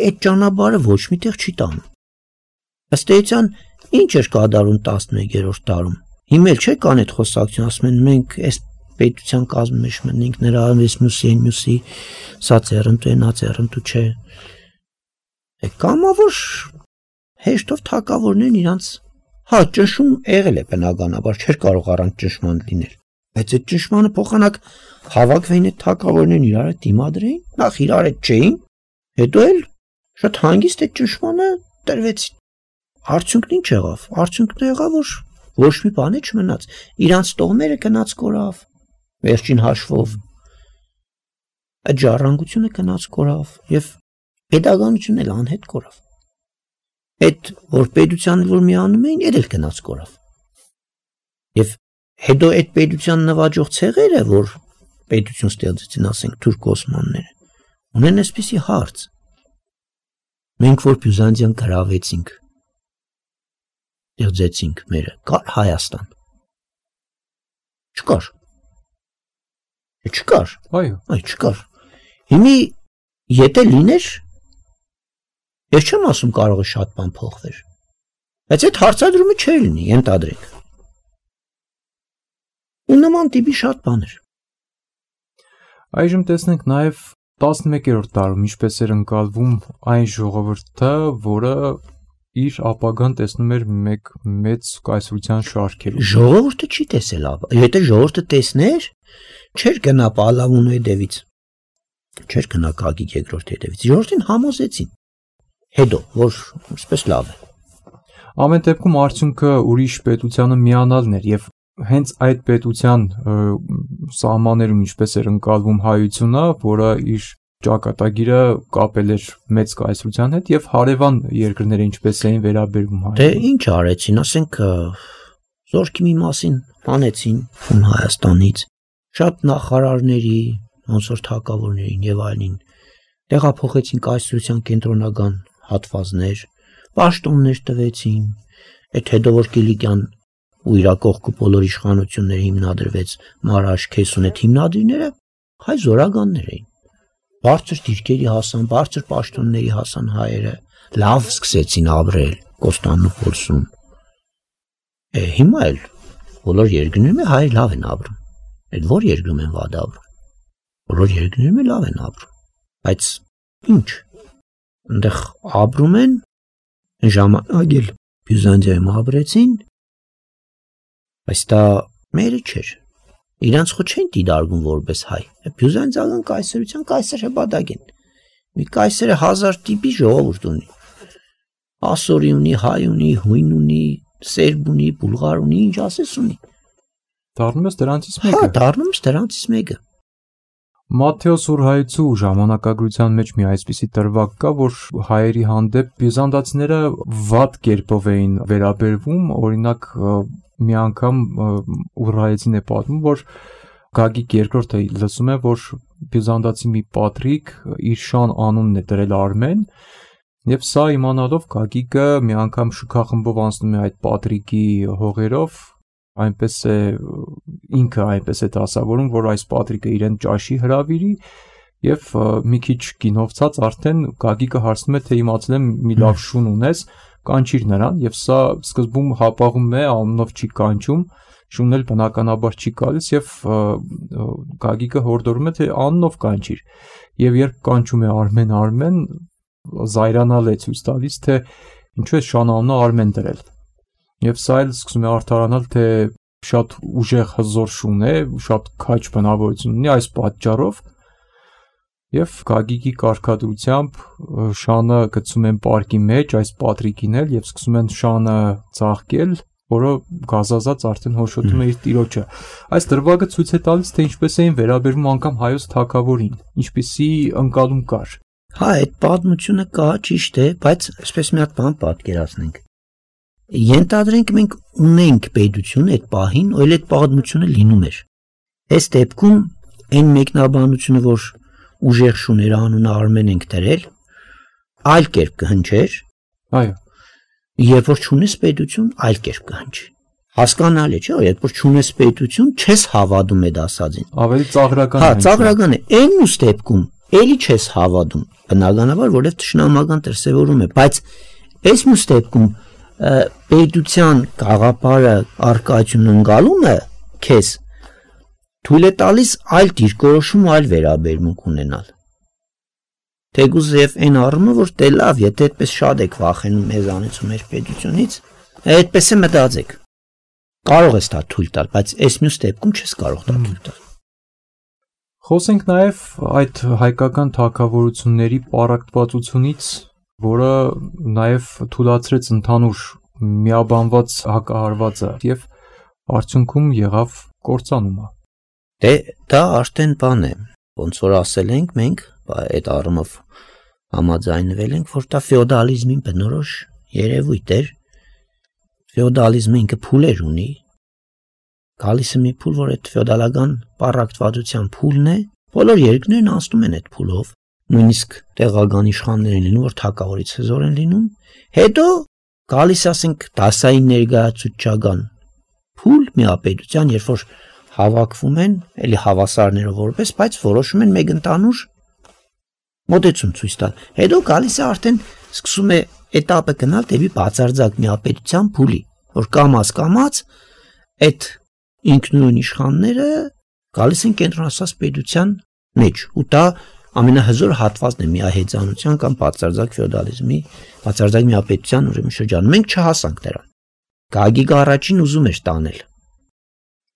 այդ ճանապարհը ոչ միտեղ չի տանում։ Ըստ էության, ինչ էր կատարում 11-րդ դարում։ Հիմա էլ չէ կան այդ խոսակցություն, ասում են մենք այս պետության կազմի մեջ մտնենք, նրա մյուսի, սա ծերնդու է, նա ծերնդու չէ։ Կամա որ հեշտով թակավորներն իրանց ճնշում եղել է բնականաբար, չէր կարող առանց ճնշման լինել։ Բայց այդ ճնշմանը փոխանակ հավաքվեին այդ թակավորներն իրար հետ դիմադրեին, նախ իրար հետ չէին, հետո էլ շատ հանգիստ այդ ճնշմանը տրվեցին։ Արդյունքն ինչ եղավ։ Արդյունքն եղավ, որ ոչ մի բան չմնաց։ Իրանց տոհմերը գնաց կորավ, վերջին հաշվով։ Այդ ժառանգությունը գնաց կորավ եւ պետականությունն էլ անհետ կորավ։ Այդ որ պետությանը որ միանում էին, էլ գնաց կորավ։ Եվ հետո այդ պետության նվաճող ցեղերը, որ պետություն ստեղծեցին, ասենք թուրք օսմանները, ունեն այսպիսի հարց. մենք որ Բյուզանդիան գրավեցինք, ստեղծեցինք մերը, կար Հայաստան։ Չկար։ Այո, չկար։ Հիմի եթե լիներ, ես չեմ ասում կարող է շատ բան փոխվեր, բայց այդ հարցադրումը չէր լինի, ենթադրենք։ Ու նման տիպի շատ բաներ։ Այժմ տեսնենք նաև 11-րդ դարում ինչպես էր ընկալվում այն ժողովուրդը, որը իր ապագան տեսնում էր մեկ մեծ կայսրության շարքերում։ Ժողովուրդը չի տեսել, եթե ժողովուրդը տեսներ, չէր գնա Պալավոնի հետևից, չէր գնա Գագիկ երկրորդի հետևից, ժողովրդին համոզեցին, հետո, որ այսպես լավ է։ Ամեն դեպքում արդյունքը ուրիշ պետությանը միանալն էր եւ հենց այդ պետության սահմաններում ինչպես էր ընկալվում հայությունը, որը իր ճակատագիրը կապել էր մեծ կայսրության հետ եւ հարևան երկրները ինչպես էին վերաբերվում հայ։ Դե ինչ արեցին, ասենք զորքի մի մասին հանեցին ում Հայաստանից, շատ նախարարների, ոնց որ թագավորներին եւ այլն տեղափոխեցին կայսրության կենտրոնական հատվածներ, պաշտոններ տվեցին, այդ հետո որ Կիլիկյան ու իր կողքը բոլոր իշխանությունները հիմնադրվեց Մարաշ, Քեսուն այդ հիմնադրիները հայ զորագաններ էին։ Բարձր դիրքերի հասան, բարձր պաշտոնների հասան հայերը, լավ սկսեցին ապրել Կոստանդնուպոլսում։ Հիմա էլ բոլոր երկրներում հայերը լավ են ապրում։ Այդ որ երկրում են վատ ապրում։ Բոլոր երկրներում լավ են ապրում։ Բայց ինչ։ Այնտեղ ապրում են ժամանակ էլ Բյուզանդիայում ապրեցին, բայց դա մերը չէր։ Իրանց խո չեն դիտարկում որպես հայ։ Բյուզանդիական կայսրության կայսր հպատակ են։ Մի կայսերը 1000 տիպի ժողովուրդ ունի։ Ասորի ունի, հայ ունի, հույն ունի, սերբ ունի, բուլղար ունի, ինչ ասես ունի։ Դառնում է դրանցից մեկը։ Դառնում է դրանցից մեկը։ Մատթեոս Ուրհայցու ժամանակագրության մեջ մի այսպիսի դրվագ կա, որ հայերի հանդեպ բյուզանդացիները վատ կերպով էին վերաբերվում, օրինակ մի անգամ Ուրհայցին է պատմում, որ Գագիկ երկրորդը լսում է, որ բյուզանդացի մի պատրիկ իր շան անունն է դրել Արմեն, եւ սա իմանալով Գագիկը մի անգամ շքախմբով անցնում է այդ պատրիկի հողերով, այնպես է ինքը այնպես է դասավորում, որ այս պատրիկը իրեն ճաշի հրավիրի եւ մի քիչ գինովցած արդեն Գագիկը հարցնում է, թե իմացել եմ մի լավ շուն ունես, կանչիր նրան եւ սա սկզբում հապաղում է, անունով չի կանչում, շունն էլ բնականաբար չի գալիս եւ Գագիկը հորդորում է թե աննով կանչիր եւ երբ կանչում է Արմեն զայրանալ է ցույց տալիս թե ինչու է Շան անունը Արմեն դրել եւ սա էլ սկսում է արդարանալ թե շատ ուժեղ հզոր շուն է շատ քաջ բնավորություն ունի այս պատճառով եւ Գագիկի կարգադրությամբ Շանը գցում են պարկի մեջ այս պատրիկին էլ եւ սկսում են Շանը ծաղկել որը գազազած արդեն հոշոտում է իր տիրոջը այս դրվագը ցույց է տալիս թե ինչպես էին վերաբերվում անգամ հայոց թագավորին ինչպիսի ընկալում կար հա այդ պատմությունը կա ճիշտ է բայց այսպես մի հատ բան պատկերացնենք ենթադրենք մենք ունենք պետություն այդ պահին ու այդ պատմությունը լինում էր այս դեպքում այն մեկնաբանությունը որ ուժեղ շուներ անունը Արմեն ենք դրել այլ կերպ կհնչեր այո երբ որ չունես պետություն այլ կերպ կհնչի հասկանալի չէ երբ որ չունես պետություն չես հավատում այդ ասածին ավելի ծաղրական հա ծաղրական է այն ուստ դեպքում էլի չես հավատում բնականաբար որովհետև ճշնամական դրսևորում է բայց այս ուստ դեպքում պետության գաղափարը արկայությունն ընկալումը քեզ թույլ է տալիս այլ դիրքորոշում այլ վերաբերմունք ունենալ թեկուզ եւ այն առումը որ դե լավ եթե այդպես շատ եք վախենում մեզանից ու մեր պետությունից այդպես է մտածեք կարող ես դա թույլ տալ բայց այս մյուս դեպքում չես կարող դա թույլ տալ խոսենք նաեւ այդ հայկական թագավորությունների պարակտվածությունից որը նաեւ թույլատրեց ընդհանուր միաբանված հակահարվածը եւ արդյունքում եղավ կործանումը դե դա արդեն բան է ոնց որ ասել ենք մենք այդ առումով համաձայնվել ենք որ դա ֆեոդալիզմին բնորոշ երևույթ էր ֆեոդալիզմը ինքը փուլեր ունի գալիս է մի փուլ որ այդ ֆեոդալական պարակտվածության փուլն է բոլոր երկրներն անցնում են այդ փուլով նույնիսկ տեղական իշխաններ են լինում որ թագավորից հզոր են լինում հետո գալիս ասենք դասային ներկայացուցչական փուլ միապետության երբ որ հավաքվում են էլի հավասարներով որպես բայց որոշում են մեկ ընդանուր մոտեցում ցույց տալ հետո գալիս է արդեն սկսում է этаպը գնալ դեպի բացարձակ միապետության փուլի որ կամած այդ ինքնուրույն իշխանները գալիս են կենտրոնացած պետության մեջ ու դա ամենահզոր հատվածն է միահեծանության կամ բացարձակ ֆեոդալիզմի բացարձակ միապետության ուրեմն շրջանում մենք չհասանք դրան Գագիկը առաջին ուզում էր տանել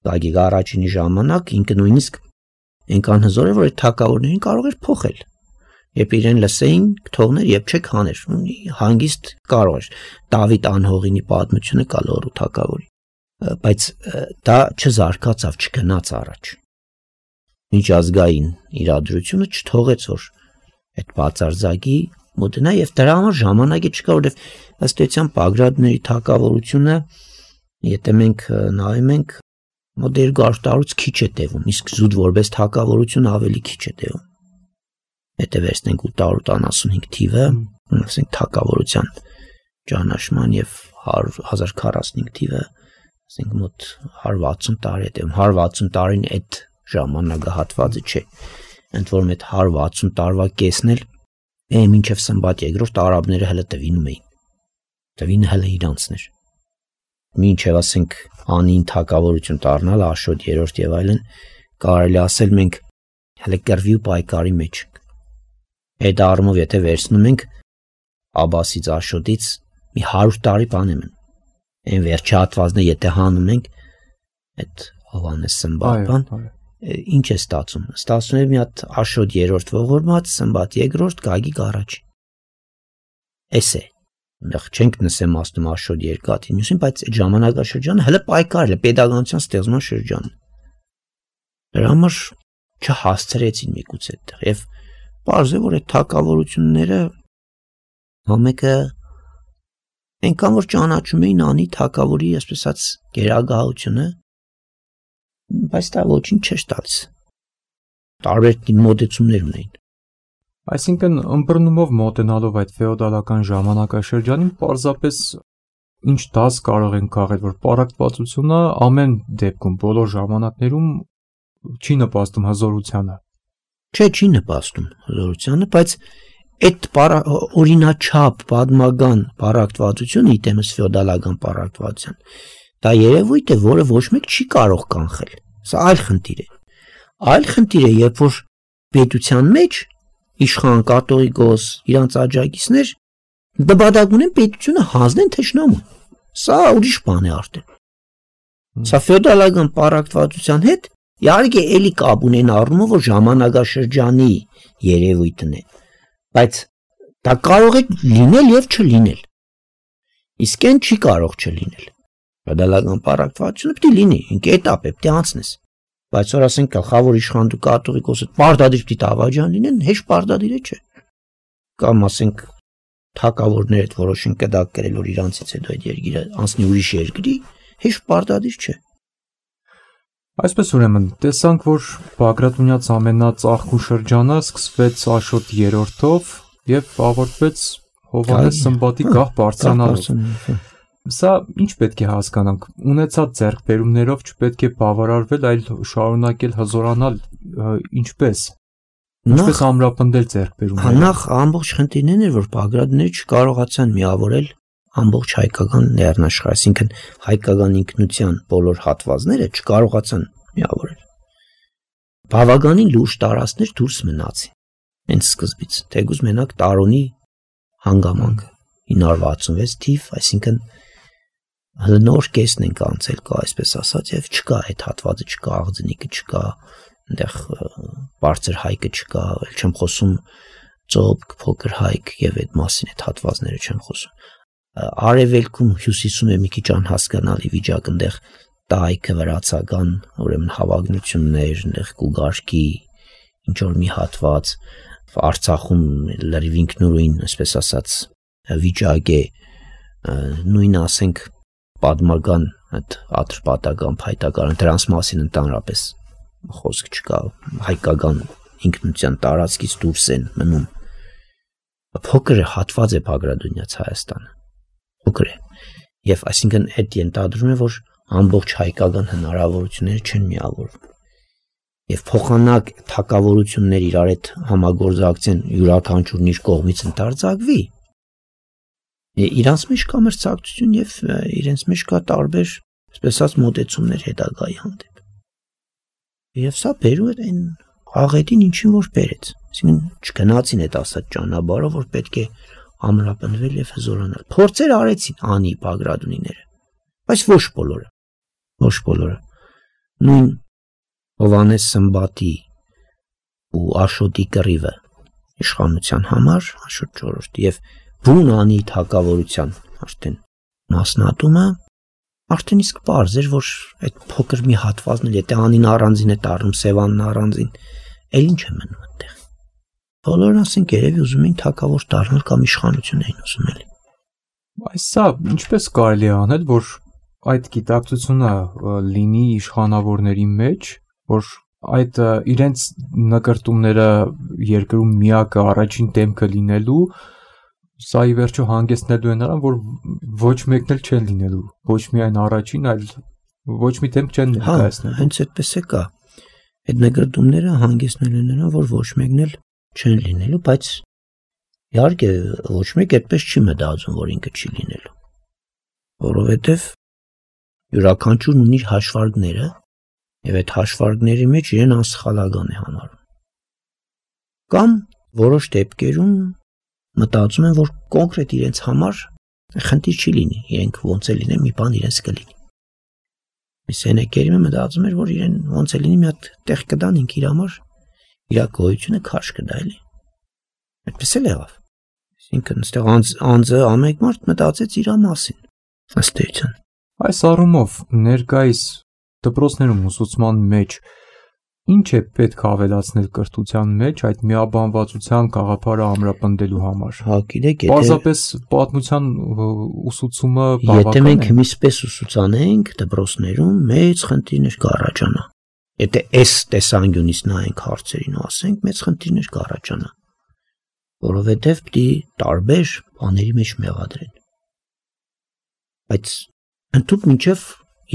Գագիկը առաջինի ժամանակ ինքը նույնիսկ այնքան հզոր է որ այդ թագավորներին կարող էր փոխել Երբ իրեն լսեին, թողներ եւ չեք հաներ, հանգիստ կարող էր Դավիթ անհողինի պատմությունը կա լոռու թագավորի, բայց դա չզարգացավ, չգնաց առաջ։ Միջազգային իրադրությունը չթողեց որ այդ բացարձակի մոտնա եւ դրա համար ժամանակը չկա, որովհետեւ ըստ էության Բագրատների թագավորությունը, եթե մենք նայում ենք, մոտ 200 տարուց քիչ է տևում, իսկ զուտ որպես թագավորություն ավելի քիչ է տևում։ Եթե վերցնենք 885 թիվը, ասենք թագավորության ճանաչման եւ 1045 թիվը, ասենք մոտ 160 տարի է տևում, 160 տարին այդ ժամանակահատվածը չէ։ Ընդ որում այդ 160 տարվա կեսն էլ մինչև Սմբատ երկրորդ արաբները հələ տվինում էին։ Տվինը հələ իրանցներ։ Մինչև ասենք անին թագավորություն դառնալ Աշոտ 3-րդ եւ այլն, կարելի ասել մենք հələ կռվի ու պայքարի մեջ ենք։ Այդ առումով եթե վերցնում ենք Աբասից Աշոտից մի 100 տարի բան եմ։ Այն վերջի հատվածը եթե հանում ենք այդ Հովանես Սմբատ բան, ինչ է ստացում։ Ստացվում է մի հատ Աշոտ 3-րդ ողորմած, Սմբատ 2-րդ, Գագիկ առաջին։ Էս է։ Նախ չենք նսեմ ասում Աշոտ երկաթին, նույնիսկ բայց այդ ժամանակաշրջանը հələ պայքարել է pedagogical ստեղծման շրջանը։ Դրա համար չհասցրեցին միգուցե այդտեղ եւ պարզ է որ այդ թակավորությունները համեկը այնքան որ ճանաչում էին անի թակավորի այսպես ասած գերագահությունը բայց դա ոչինչ չէր տալիս տարբեր մոտեցումներ ունեին Այսինքն ըմբռնումով մոտենալով այդ ֆեոդալական ժամանակաշրջանին պարզապես ինչ դաս կարող են քաղել որ պարակտվածությունը ամեն դեպքում բոլոր ժամանակներում չի նպաստում հզորությանը չի նպաստում հզորությանը բայց այդ օրինաչափ պատմական պարակտվածությունը իտեմս ֆեոդալական պարակտվածության Դա երևույթ է, որը ոչ մեկ չի կարող կանխել։ Սա այլ խնդիր է։ Այլ խնդիր է, երբ որ պետության մեջ իշխան կաթողիկոս իրանց աջակիցներ դպադակ ունեն պետությունը հանձնեն թշնամուն։ Սա ուրիշ բան է արդեն։ Սա ֆեոդալական պարակտվածության հետ իհարկե էլի կապ ունեն առումով, որ ժամանակաշրջանի երևույթն է, բայց դա կարող է լինել եւ չլինել։ Իսկ այն չի կարող չլինել։ Ֆեոդալական պարակտվածությունը պետք է լինի, ինքը էտապ է, պետք է անցնես։ Բայց որ ասենք գլխավոր իշխանու կաթողիկոսը պարտադիր պիտի դավաճան լինեն, հեշտ պարտադիր չէ։ Կամ ասենք թակավորները այդ որոշեն կդակ կրել, որ իրանցից հետո այդ երկիրը անցնի ուրիշ երկրի, հեշտ պարտադիր չէ։ Այսպես ուրեմն տեսանք, որ Բագրատունյաց ամենածաղկու շրջանը սկսվեց Աշոտ 3-ով եւ ավարտվեց Հովհաննես Սմբատի գահ բարձրանալով։ Սա ինչ պետք է հասկանանք, ունեցած ձեռքբերումներով չպետք է բավարարվել, այլ շարունակել հզորանալ, ինչպես ամրապնդել ձեռքբերումները։ Նախ ամբողջ խնդիրն էր, որ Բագրատները չկարողացան միավորել ամբողջ հայկական լեռնաշխարհը, այսինքն հայկական ինքնության բոլոր հատվածները չկարողացան միավորել։ Բավականին լուրջ տարածքներ դուրս մնացին հենց սկզբից, թեկուզ մենակ Տարոնի հանգամանքը 966 թիվ, այսինքն նոր կեսն ենք անցել կա, այսպես ասած, եւ չկա այդ հատվածը, չկա աղձնիկը, չկա այնտեղ բարձր հայկը չկա, էլ չեմ խոսում ծոպ, փոքր հայկ եւ այդ մասին այդ հատվածները չեմ խոսում։ Արևելքում հյուսիսում է մի քիչ անհասկանալի վիճակ, այնտեղ տայքը վրացական, ուրեմն հավագնություններ, այնտեղ Կուգարքի ինչ որ մի հատված, Արցախում լրիվ ինքնուրույն, այսպես ասած, վիճակ է, նույն ասենք պատմական այդ ատրպատական փայտակարան դրանց մասին ընդհանրապես խոսք չկա, հայկական ինքնության տարածքից դուրս են մնում։ Փոքր հատված է Բագրատունյաց Հայաստանը, փոքր է, եւ այսինքն այդ ենթադրում է, որ ամբողջ հայկական հնարավորությունները չեն միավորվում, եւ փոխանակ թակավորություններ իրար հետ համագործակցեն, յուրաքանչյուրն իր կողմից ընդարձակվի։ Իրանց մեջ կա մրցակցություն եւ իրենց մեջ կա տարբեր, այսպես ասած, մոտեցումներ հետագայի հանդեպ։ Եվ սա բերում է այն աղետին, ինչին որ բերեց։ Այսինքն չգնացին այդ ասած ճանապարհով, որ պետք է ամրապնդվել եւ հզորանալ։ Փորձեր արեցին անի Բագրատունիները, բայց ոչ բոլորը։ Ոչ բոլորը։ Նույն Հովհաննես Սմբատի ու Աշոտի կռիվը իշխանության համար, Աշոտ 4-րդ եւ բուն անի թակավորության արդեն մասնատումը արդեն իսկ պարզ էր, որ այդ փոքր մի հատվածն էլ եթե անին առանձին է տառնում, Սևանն առանձին, էլ ինչ է մնում այդտեղ։ Բոլորն ասենք երևի ուզում էին թակավոր դառնալ կամ իշխանություն էին ուզում էլի։ Այս սա ինչպես կարելի է անել, որ այդ գիտակցությունը լինի իշխանավորների մեջ, որ այդ իրենց նկարտումները երկրում միակը առաջին դեմքը լինելու, սա ի վերջո հանգեցնելու է նրան, որ ոչ մեկն էլ չեն լինելու, ոչ միայն առաջին, այլ ոչ մի դեմք չեն ներկայացնելու։ Հենց այդպես է կա։ Այդ նկարտումները հանգեցնելու են նրան, որ ոչ մեկն էլ չեն լինելու, բայց իհարկե ոչ մեկ այդպես չի մտածում, որ ինքը չի լինելու, որովհետև յուրաքանչյուրն ունի իր հաշվարկները եւ այդ հաշվարկների մեջ իրեն անսխալական է համարում։ Կամ որոշ դեպքերում մտածում են, որ կոնկրետ իրենց համար խնդիր չի լինի, իրենք ոնց է լինեն, մի բան իրենց կլինի։ Միսենեկերիմը մտածում էր, որ իրեն ոնց է լինի, մի հատ տեղ կդան ինք իր համար, իր գոյությունը քաշ կդա էլի։ Այդպես էլ եղավ։ Այսինքն այստեղ անձը ամեն մարդ մտածեց իր մասին, ըստ էության։ Այս առումով ներկայիս դպրոցներում ուսուցման մեջ ինչ է պետք ավելացնել կրթության մեջ այդ միաբանվածության գաղափարը ամրապնդելու համար։ Հա, գիտեք, պարզապես պատմության ուսուցումը բավական է։ Եթե մենք միսպես ուսուցանենք դպրոցներում, մեծ խնդիրներ կառաջանա։ Եթե այս տեսանկյունից նայենք հարցերին ու ասենք, մեծ խնդիրներ կառաջանա, որովհետև պիտի տարբեր բաների մեջ մեղադրեն։ Բայց ընդհանուր մինչև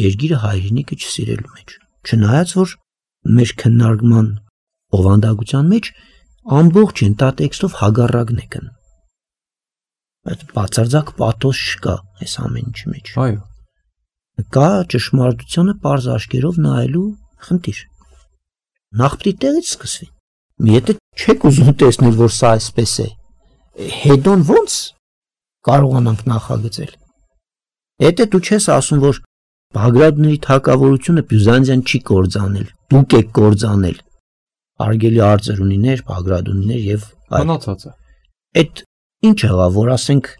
երկիրը հայրենիքը չսիրելու մեջ, չնայած որ մեր քննարկման օվանդակության մեջ ամբողջ ենթատեքստով հագարակն է կն։ Այդ բացարձակ պաթոս չկա այս ամեն ինչի մեջ։ Այո։ Կա ճշմարտությունը պարզ աչքերով նայելու խնդիր։ Նախ պիտի տեղից սկսվի։ Եթե չեք ուզում տեսնել, որ սա այսպես է, հետոն ո՞նց կարողանանք նախագծել։ Եթե դու չես ասում, որ Բագրատների թագավորությունը Բյուզանդիան չի կործանել, դուք եք կործանել, արգելի արծրունիներ, Բագրատունիներ եւ մնացածը։ Այդ ինչ եղավ, որ ասենք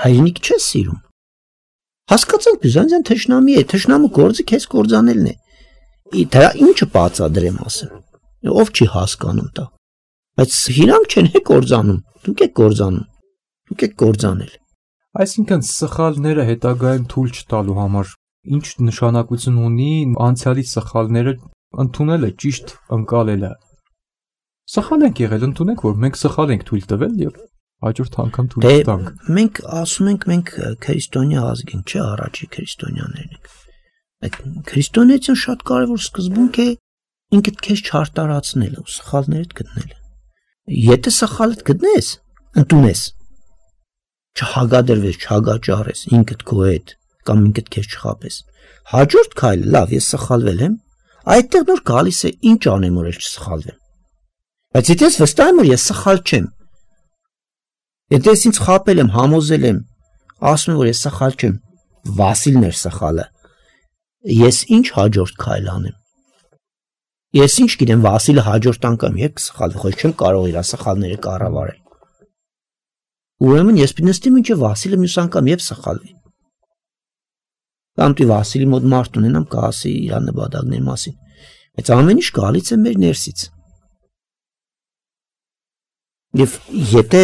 հայրենիք չես սիրում։ Հասկացանք Բյուզանդիան թշնամի է, թշնամու գործը քեզ կործանելն է։ Դրա ինչը բացադրեմ ասեմ։ Ով չի հասկանում դա։ Բայց իրանք չեն կործանում, դուք եք կործանում։ Դուք եք կործանել։ Այսինքն սխալները հետագայում թույլ չտալու համար ինչ նշանակություն ունի անցյալի սխալները ընդունելը, ճիշտ ընկալելը։ Սխալ ենք եղել, ընդունենք, որ մենք սխալ ենք թույլ տվել եւ հաջորդ անգամ թույլ տանք։ Մենք ասում ենք, մենք քրիստոնյա ազգ ենք, չէ, առաջի քրիստոնյաներն ենք։ Այդ քրիստոնեություն շատ կարևոր սկզբունք է ինքդ քեզ չարտարացնելը ու սխալներդ գտնելը։ Եթե սխալդ գտնես, ընդունես, չհագադրվես, չհագաճարես ինքդ քո հետ կամ ինքդ քեզ չխաբես։ Հաջորդ քայլը, լավ, ես սխալվել եմ, այդտեղ նոր գալիս է ինչ անեմ, որ չսխալվեմ։ Բայց եթե ես վստահ եմ, որ ես սխալ չեմ, եթե ես ինձ խաբել եմ, համոզել եմ, ասում եմ, որ ես սխալ չեմ, Վասիլն էր սխալը, ես ինչ հաջորդ քայլ անեմ։ Ես ինչ գիտեմ, Վասիլը հաջորդ անգամ երբ կսխալվի, խոչ չեմ կարող իր սխալները կառավարել։ Ուրեմն ես պիտի նստեմ ինչը Վասիլը մյուս անգամ երբ սխալվի։ Կամ դու Վասիլի մոտ մարդ ունենամ, կասի իր նպատակների մասին։ Բայց ամեն ինչ գալիս է մեր ներսից։ Եվ եթե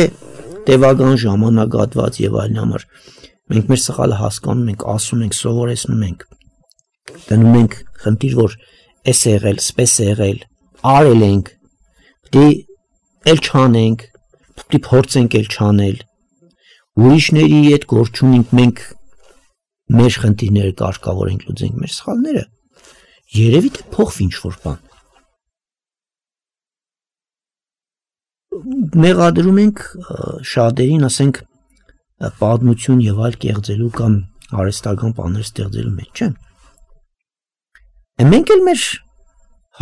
տևական ժամանակահատված եւ այլն համար մենք մեր սխալը հասկանում ենք, ասում ենք, սովորեցնում ենք, դնում ենք խնդիր, որ էս եղել, սպես եղել, արել ենք, պիտի էլ չանենք, պիտի փորձենք էլ չանել, ուրիշների հետ գործ ունենք, մենք մեր խնդիրները կարգավորենք, լուծենք մեր սխալները, երևի թե փոխվի ինչ-որ բան։ Մեղադրում ենք շատերին, ասենք, պատմություն եւ այլ կեղծելու կամ արհեստական բաներ ստեղծելու մեջ, չէ՞։ Մենք էլ մեր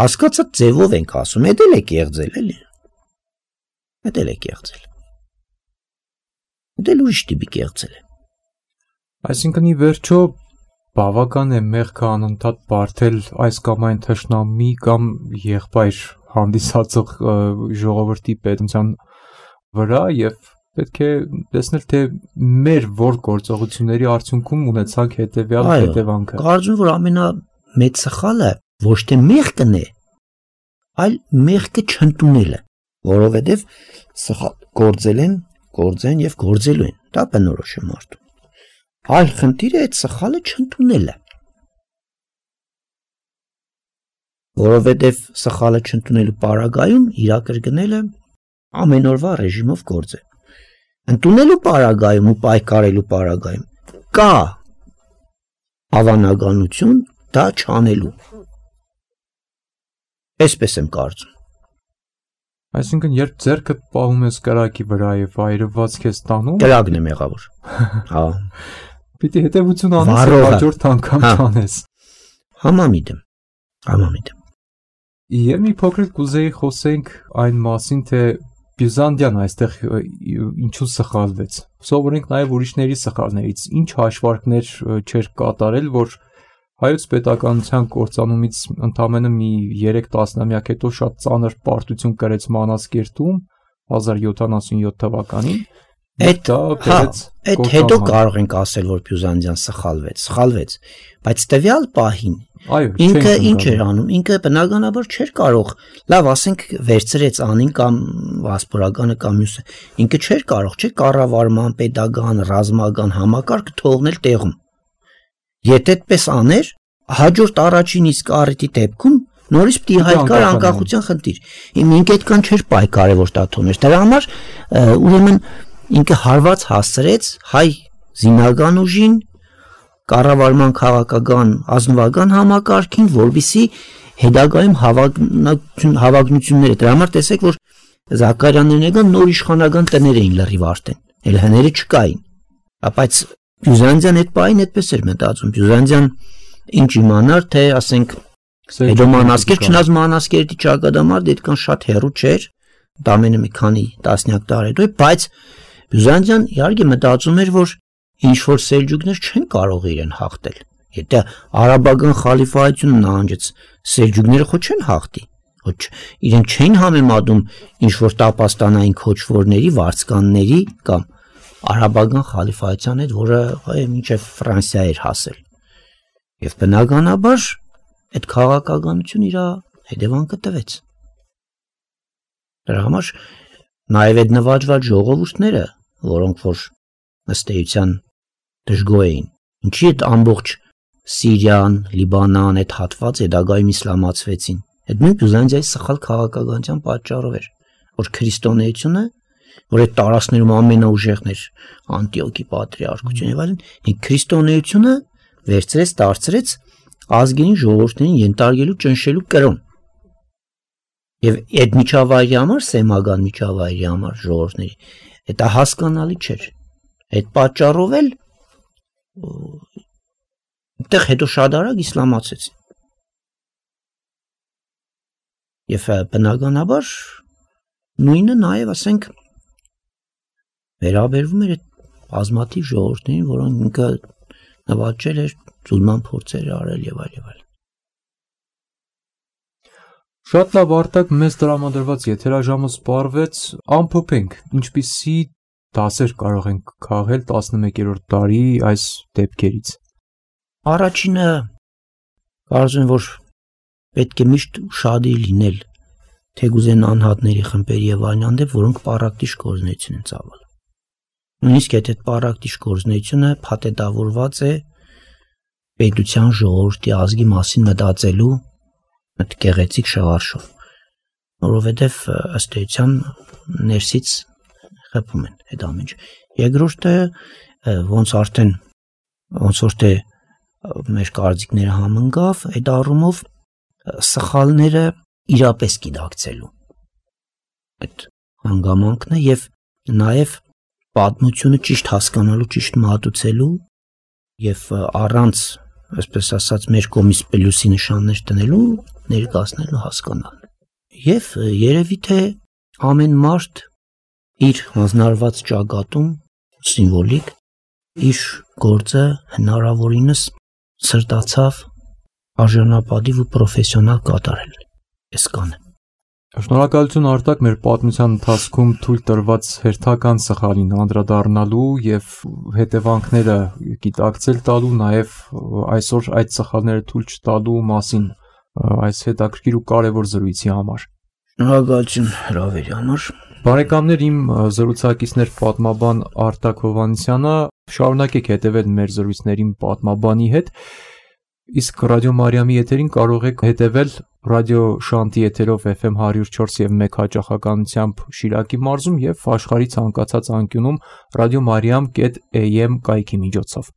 հասկացած ձևով ենք ասում, դա էլ է կեղծել, էլի։ Դա էլ է կեղծել։ Դա ուրիշ տիպի կեղծել է։ Այսինքն ի վերջո բավական է մեղքը անընդհատ բարթել այս կամ այն թշնամի կամ եղբայր հանդիսացող ժողովրդի պետության վրա եւ պետք է տեսնել թե մեր որ գործողությունների արդյունքում ունեցանք հետեւյալ հետևանքը։ Կարծում եմ, որ ամենամեծ սխալը ոչ թե մեղքն է, այլ մեղքը չընդունելը, որովհետեւ սխալ գործել են, գործեն եւ գործելու են։ Դա բնորոշ է մարդու։ Այլ խնդիրը այդ սխալը չընդունելը։ Որովհետև սխալը չընդունելու պարագայում իր կրկնելը ամեն օրվա ռեժիմով գործ է։ Ընդունելու պարագայում ու պայքարելու պարագայում կա հավանականություն դա չանելու։ Այսպես եմ կարծում։ Այսինքն երբ ձեռքը պահում ես կրակի վրա եւ այրված քեզ տանում, կրակն է մեղավոր։ Հա։ Պիտի հետևություն անես եւ հաջորդ անգամ չանես։ Համամիտ եմ։ Եվ մի փոքր կուզեի խոսենք այն մասին, թե Բյուզանդիան այստեղ ինչու սխալվեց։ Սովորենք նաև ուրիշների սխալներից, ինչ հաշվարկներ չէր կատարել, որ հայոց պետականության կործանումից ընդամենը մի 3 տասնամյակ հետո շատ ծանր պարտություն կրեց Մանասկերտում 1077 թվականին։ Այդ հետո կարող ենք ասել, որ Բյուզանդիան սխալվեց, բայց տվյալ պահին ինքը ինչ էր անում, ինքը բնականաբար չէր կարող, լավ ասենք վերցրեց անին կամ վասպորականը կամ մյուսը, ինքը չէր կարող, չէ կառավարման, պետական, ռազմական համակարգ թողնել տեղում։ Եթե այդպես աներ, հաջորդ առաջին իսկ առիթի դեպքում նորից պիտի հայտկար անկախության խնդիր։ Ինքը այդքան չէր պայքարել, որ դա թողներ։ Դրա համար ուրեմն ինքը հարված հասցրեց հայ զինական ուժին, կառավարման քաղաքական ազնվական համակարգին, որբիսի հետագայում հավակնությունները։ Դրա համար տեսեք, որ Զաքարյաններն եկան նոր իշխանական տներ էին լրիվ արդեն, էլ հները չկային։ Բայց Բյուզանդիան այդ պահին այդպես էր մտածում։ Բյուզանդիան ինչ իմանար, թե ասենք հետո Մանասկերտ, չնայած Մանասկերտի ճակատամարտ այդքան շատ հեռու չէր, դա ամենը մի քանի տասնյակ տարի հետո, բայց Բյուզանդիան իհարկե մտածում էր, որ ինչ որ սելջուկներ չեն կարող իրեն հաղթել։ Եթե արաբական խալիֆայությունը նահանջեց, սելջուկները խո չեն հաղթի։ Ոչ իրեն չէին համեմատում ինչ որ տապաստանային քոչվորների, վարձկանների կամ արաբական խալիֆայության հետ, որը մինչև Ֆրանսիա էր հասել։ Եվ բնականաբար այդ քաղաքականությունը իր հետևանքը տվեց։ Դրա համար նաև այդ նվաճված ժողովուրդները, որոնք որ ըստ էության դժգոհ էին, ինչի այդ ամբողջ Սիրիան, Լիբանան այդ հատված հետագայում իսլամացվեցին։ Այդ նույն Բյուզանդիայի սխալ քաղաքականության պատճառով էր, որ քրիստոնեությունը, որ այդ տարածքներում ամենաուժեղն էր, Անտիոքի պատրիարքությունը եւ այլն, քրիստոնեությունը վերցրեց, դարձրեց ազգային ժողովուրդներին ենթարկելու ճնշելու կրոն։ Եվ այդ միջավայրի համար, սեմական միջավայրի համար ժողովուրդների, դա հասկանալի չէր։ Այդ պատճառով էլ այդտեղ հետո շատ արագ իսլամացեցին։ Եվ բնականաբար նույնը նաև ասենք վերաբերվում էր այդ բազմաթիվ ժողովուրդներին, որոնք ինքը նվաճել էր, զուլման փորձեր արել եւ այլ եւ այլ։ Շատ լավ, Արտակ, մեզ տրամադրված եթերաժամը սպառվեց, ամփոփենք, ինչպիսի դասեր կարող ենք քաղել 11-րդ դարի այս դեպքերից։ Առաջինը կարծում եմ, որ պետք է միշտ ուշադիր լինել թեգուզեն անհատների խմբերի եւ այն հանդեպ, որոնք պարակտիչ գործունեություն են ծավալում։ Նույնիսկ եթե այդ պարակտիչ գործունեությունը փաթեթավորված է պետության ժողովրդի ազգի մասին մտածելու այդ գեղեցիկ շղարշով, որովհետև ըստ էության ներսից խփում են այդ ամեն ինչ։ Երկրորդը ոնց որ թե մեր կարծիքները համընկավ, այդ առումով սխալները իրապես գիտակցելու այդ հանգամանքն է եւ նաեւ պատմությունը ճիշտ հասկանալու, ճիշտ մատուցելու եւ առանց, այսպես ասած, մեր կողմից պլյուսի նշաններ տնելու, ներկայացնելու, հասկանալու։ Եվ երևի թե ամեն մարդ իր հանձնարարված ճակատում սիմվոլիկ իր գործը հնարավորինս սրտացավ արժանապատիվ ու պրոֆեսիոնալ կատարել։ Այս կանը։ Շնորհակալություն Արտակ, մեր պատմության ընթացքում թույլ տրված հերթական սխալին անդրադառնալու եւ հետևանքները գիտակցել տալու, նաեւ այսօր այդ սխալները թույլ չտալու մասին այս հետաքրքիր ու կարևոր զրույցի համար։ Շնորհակալություն հրավերի համար։ Բարեկամներ, իմ զրուցակիցներ պատմաբան Արտակ Հովհաննիսյանը, շարունակեք հետևել մեր զրույցներին պատմաբանի հետ, իսկ Ռադիո Մարիամի եթերին կարող եք հետևել Ռադիո Շանտի եթերով FM 104.1 հաճախականությամբ Շիրակի մարզում եւ աշխարհի ցանկացած անկյունում radiomariam.am կայքի միջոցով։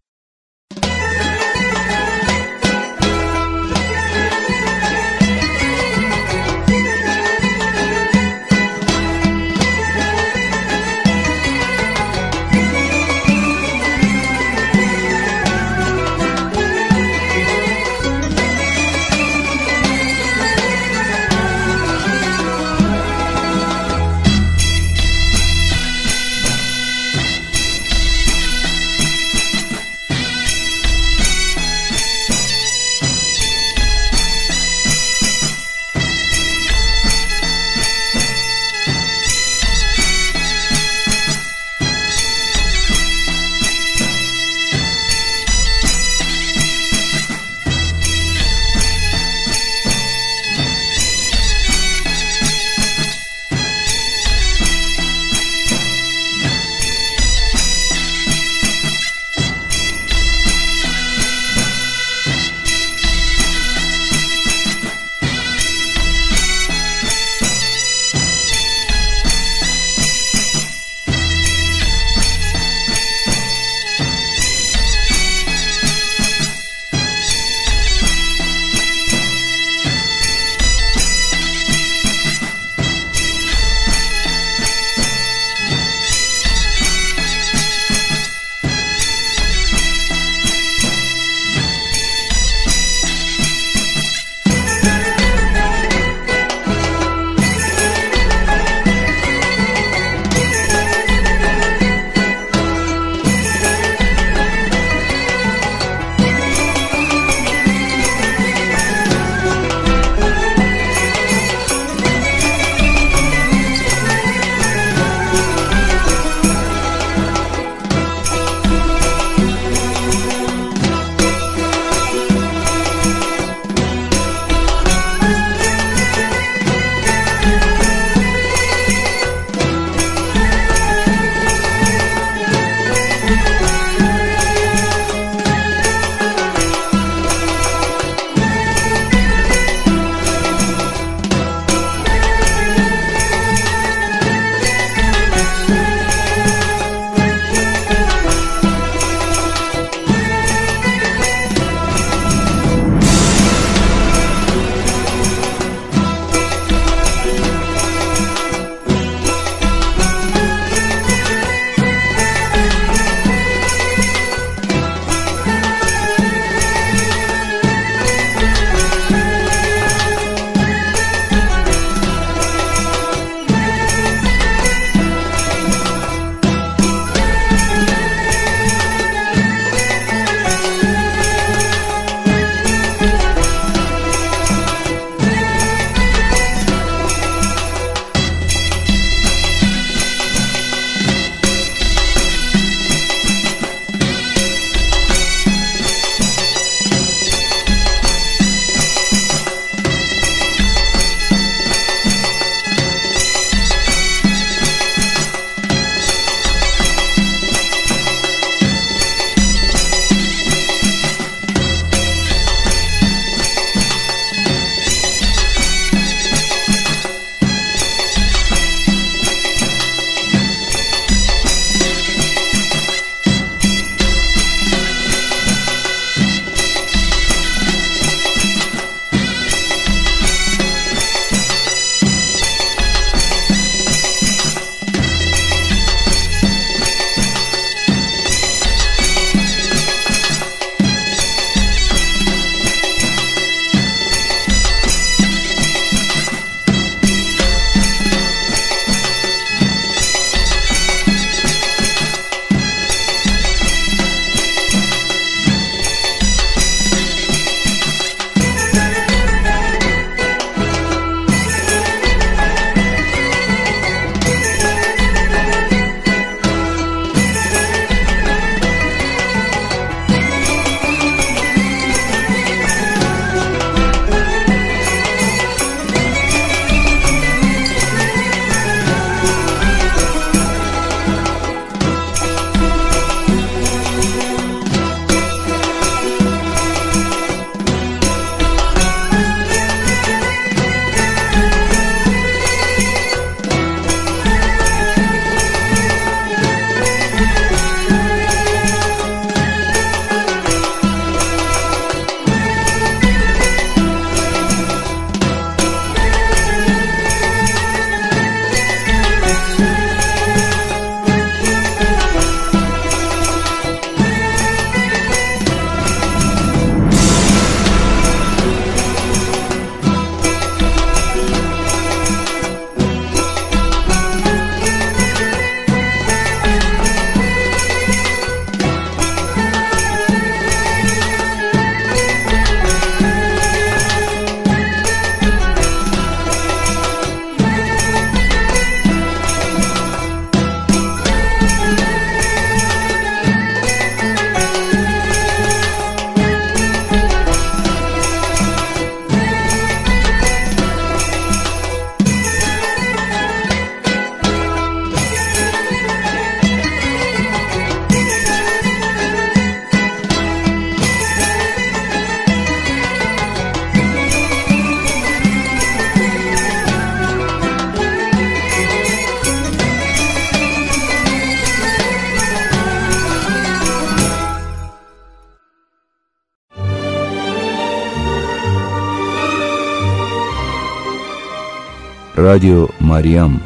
Ռադիո Մարիամ,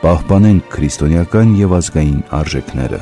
պահպանենք քրիստոնեական եւ ազգային արժեքները։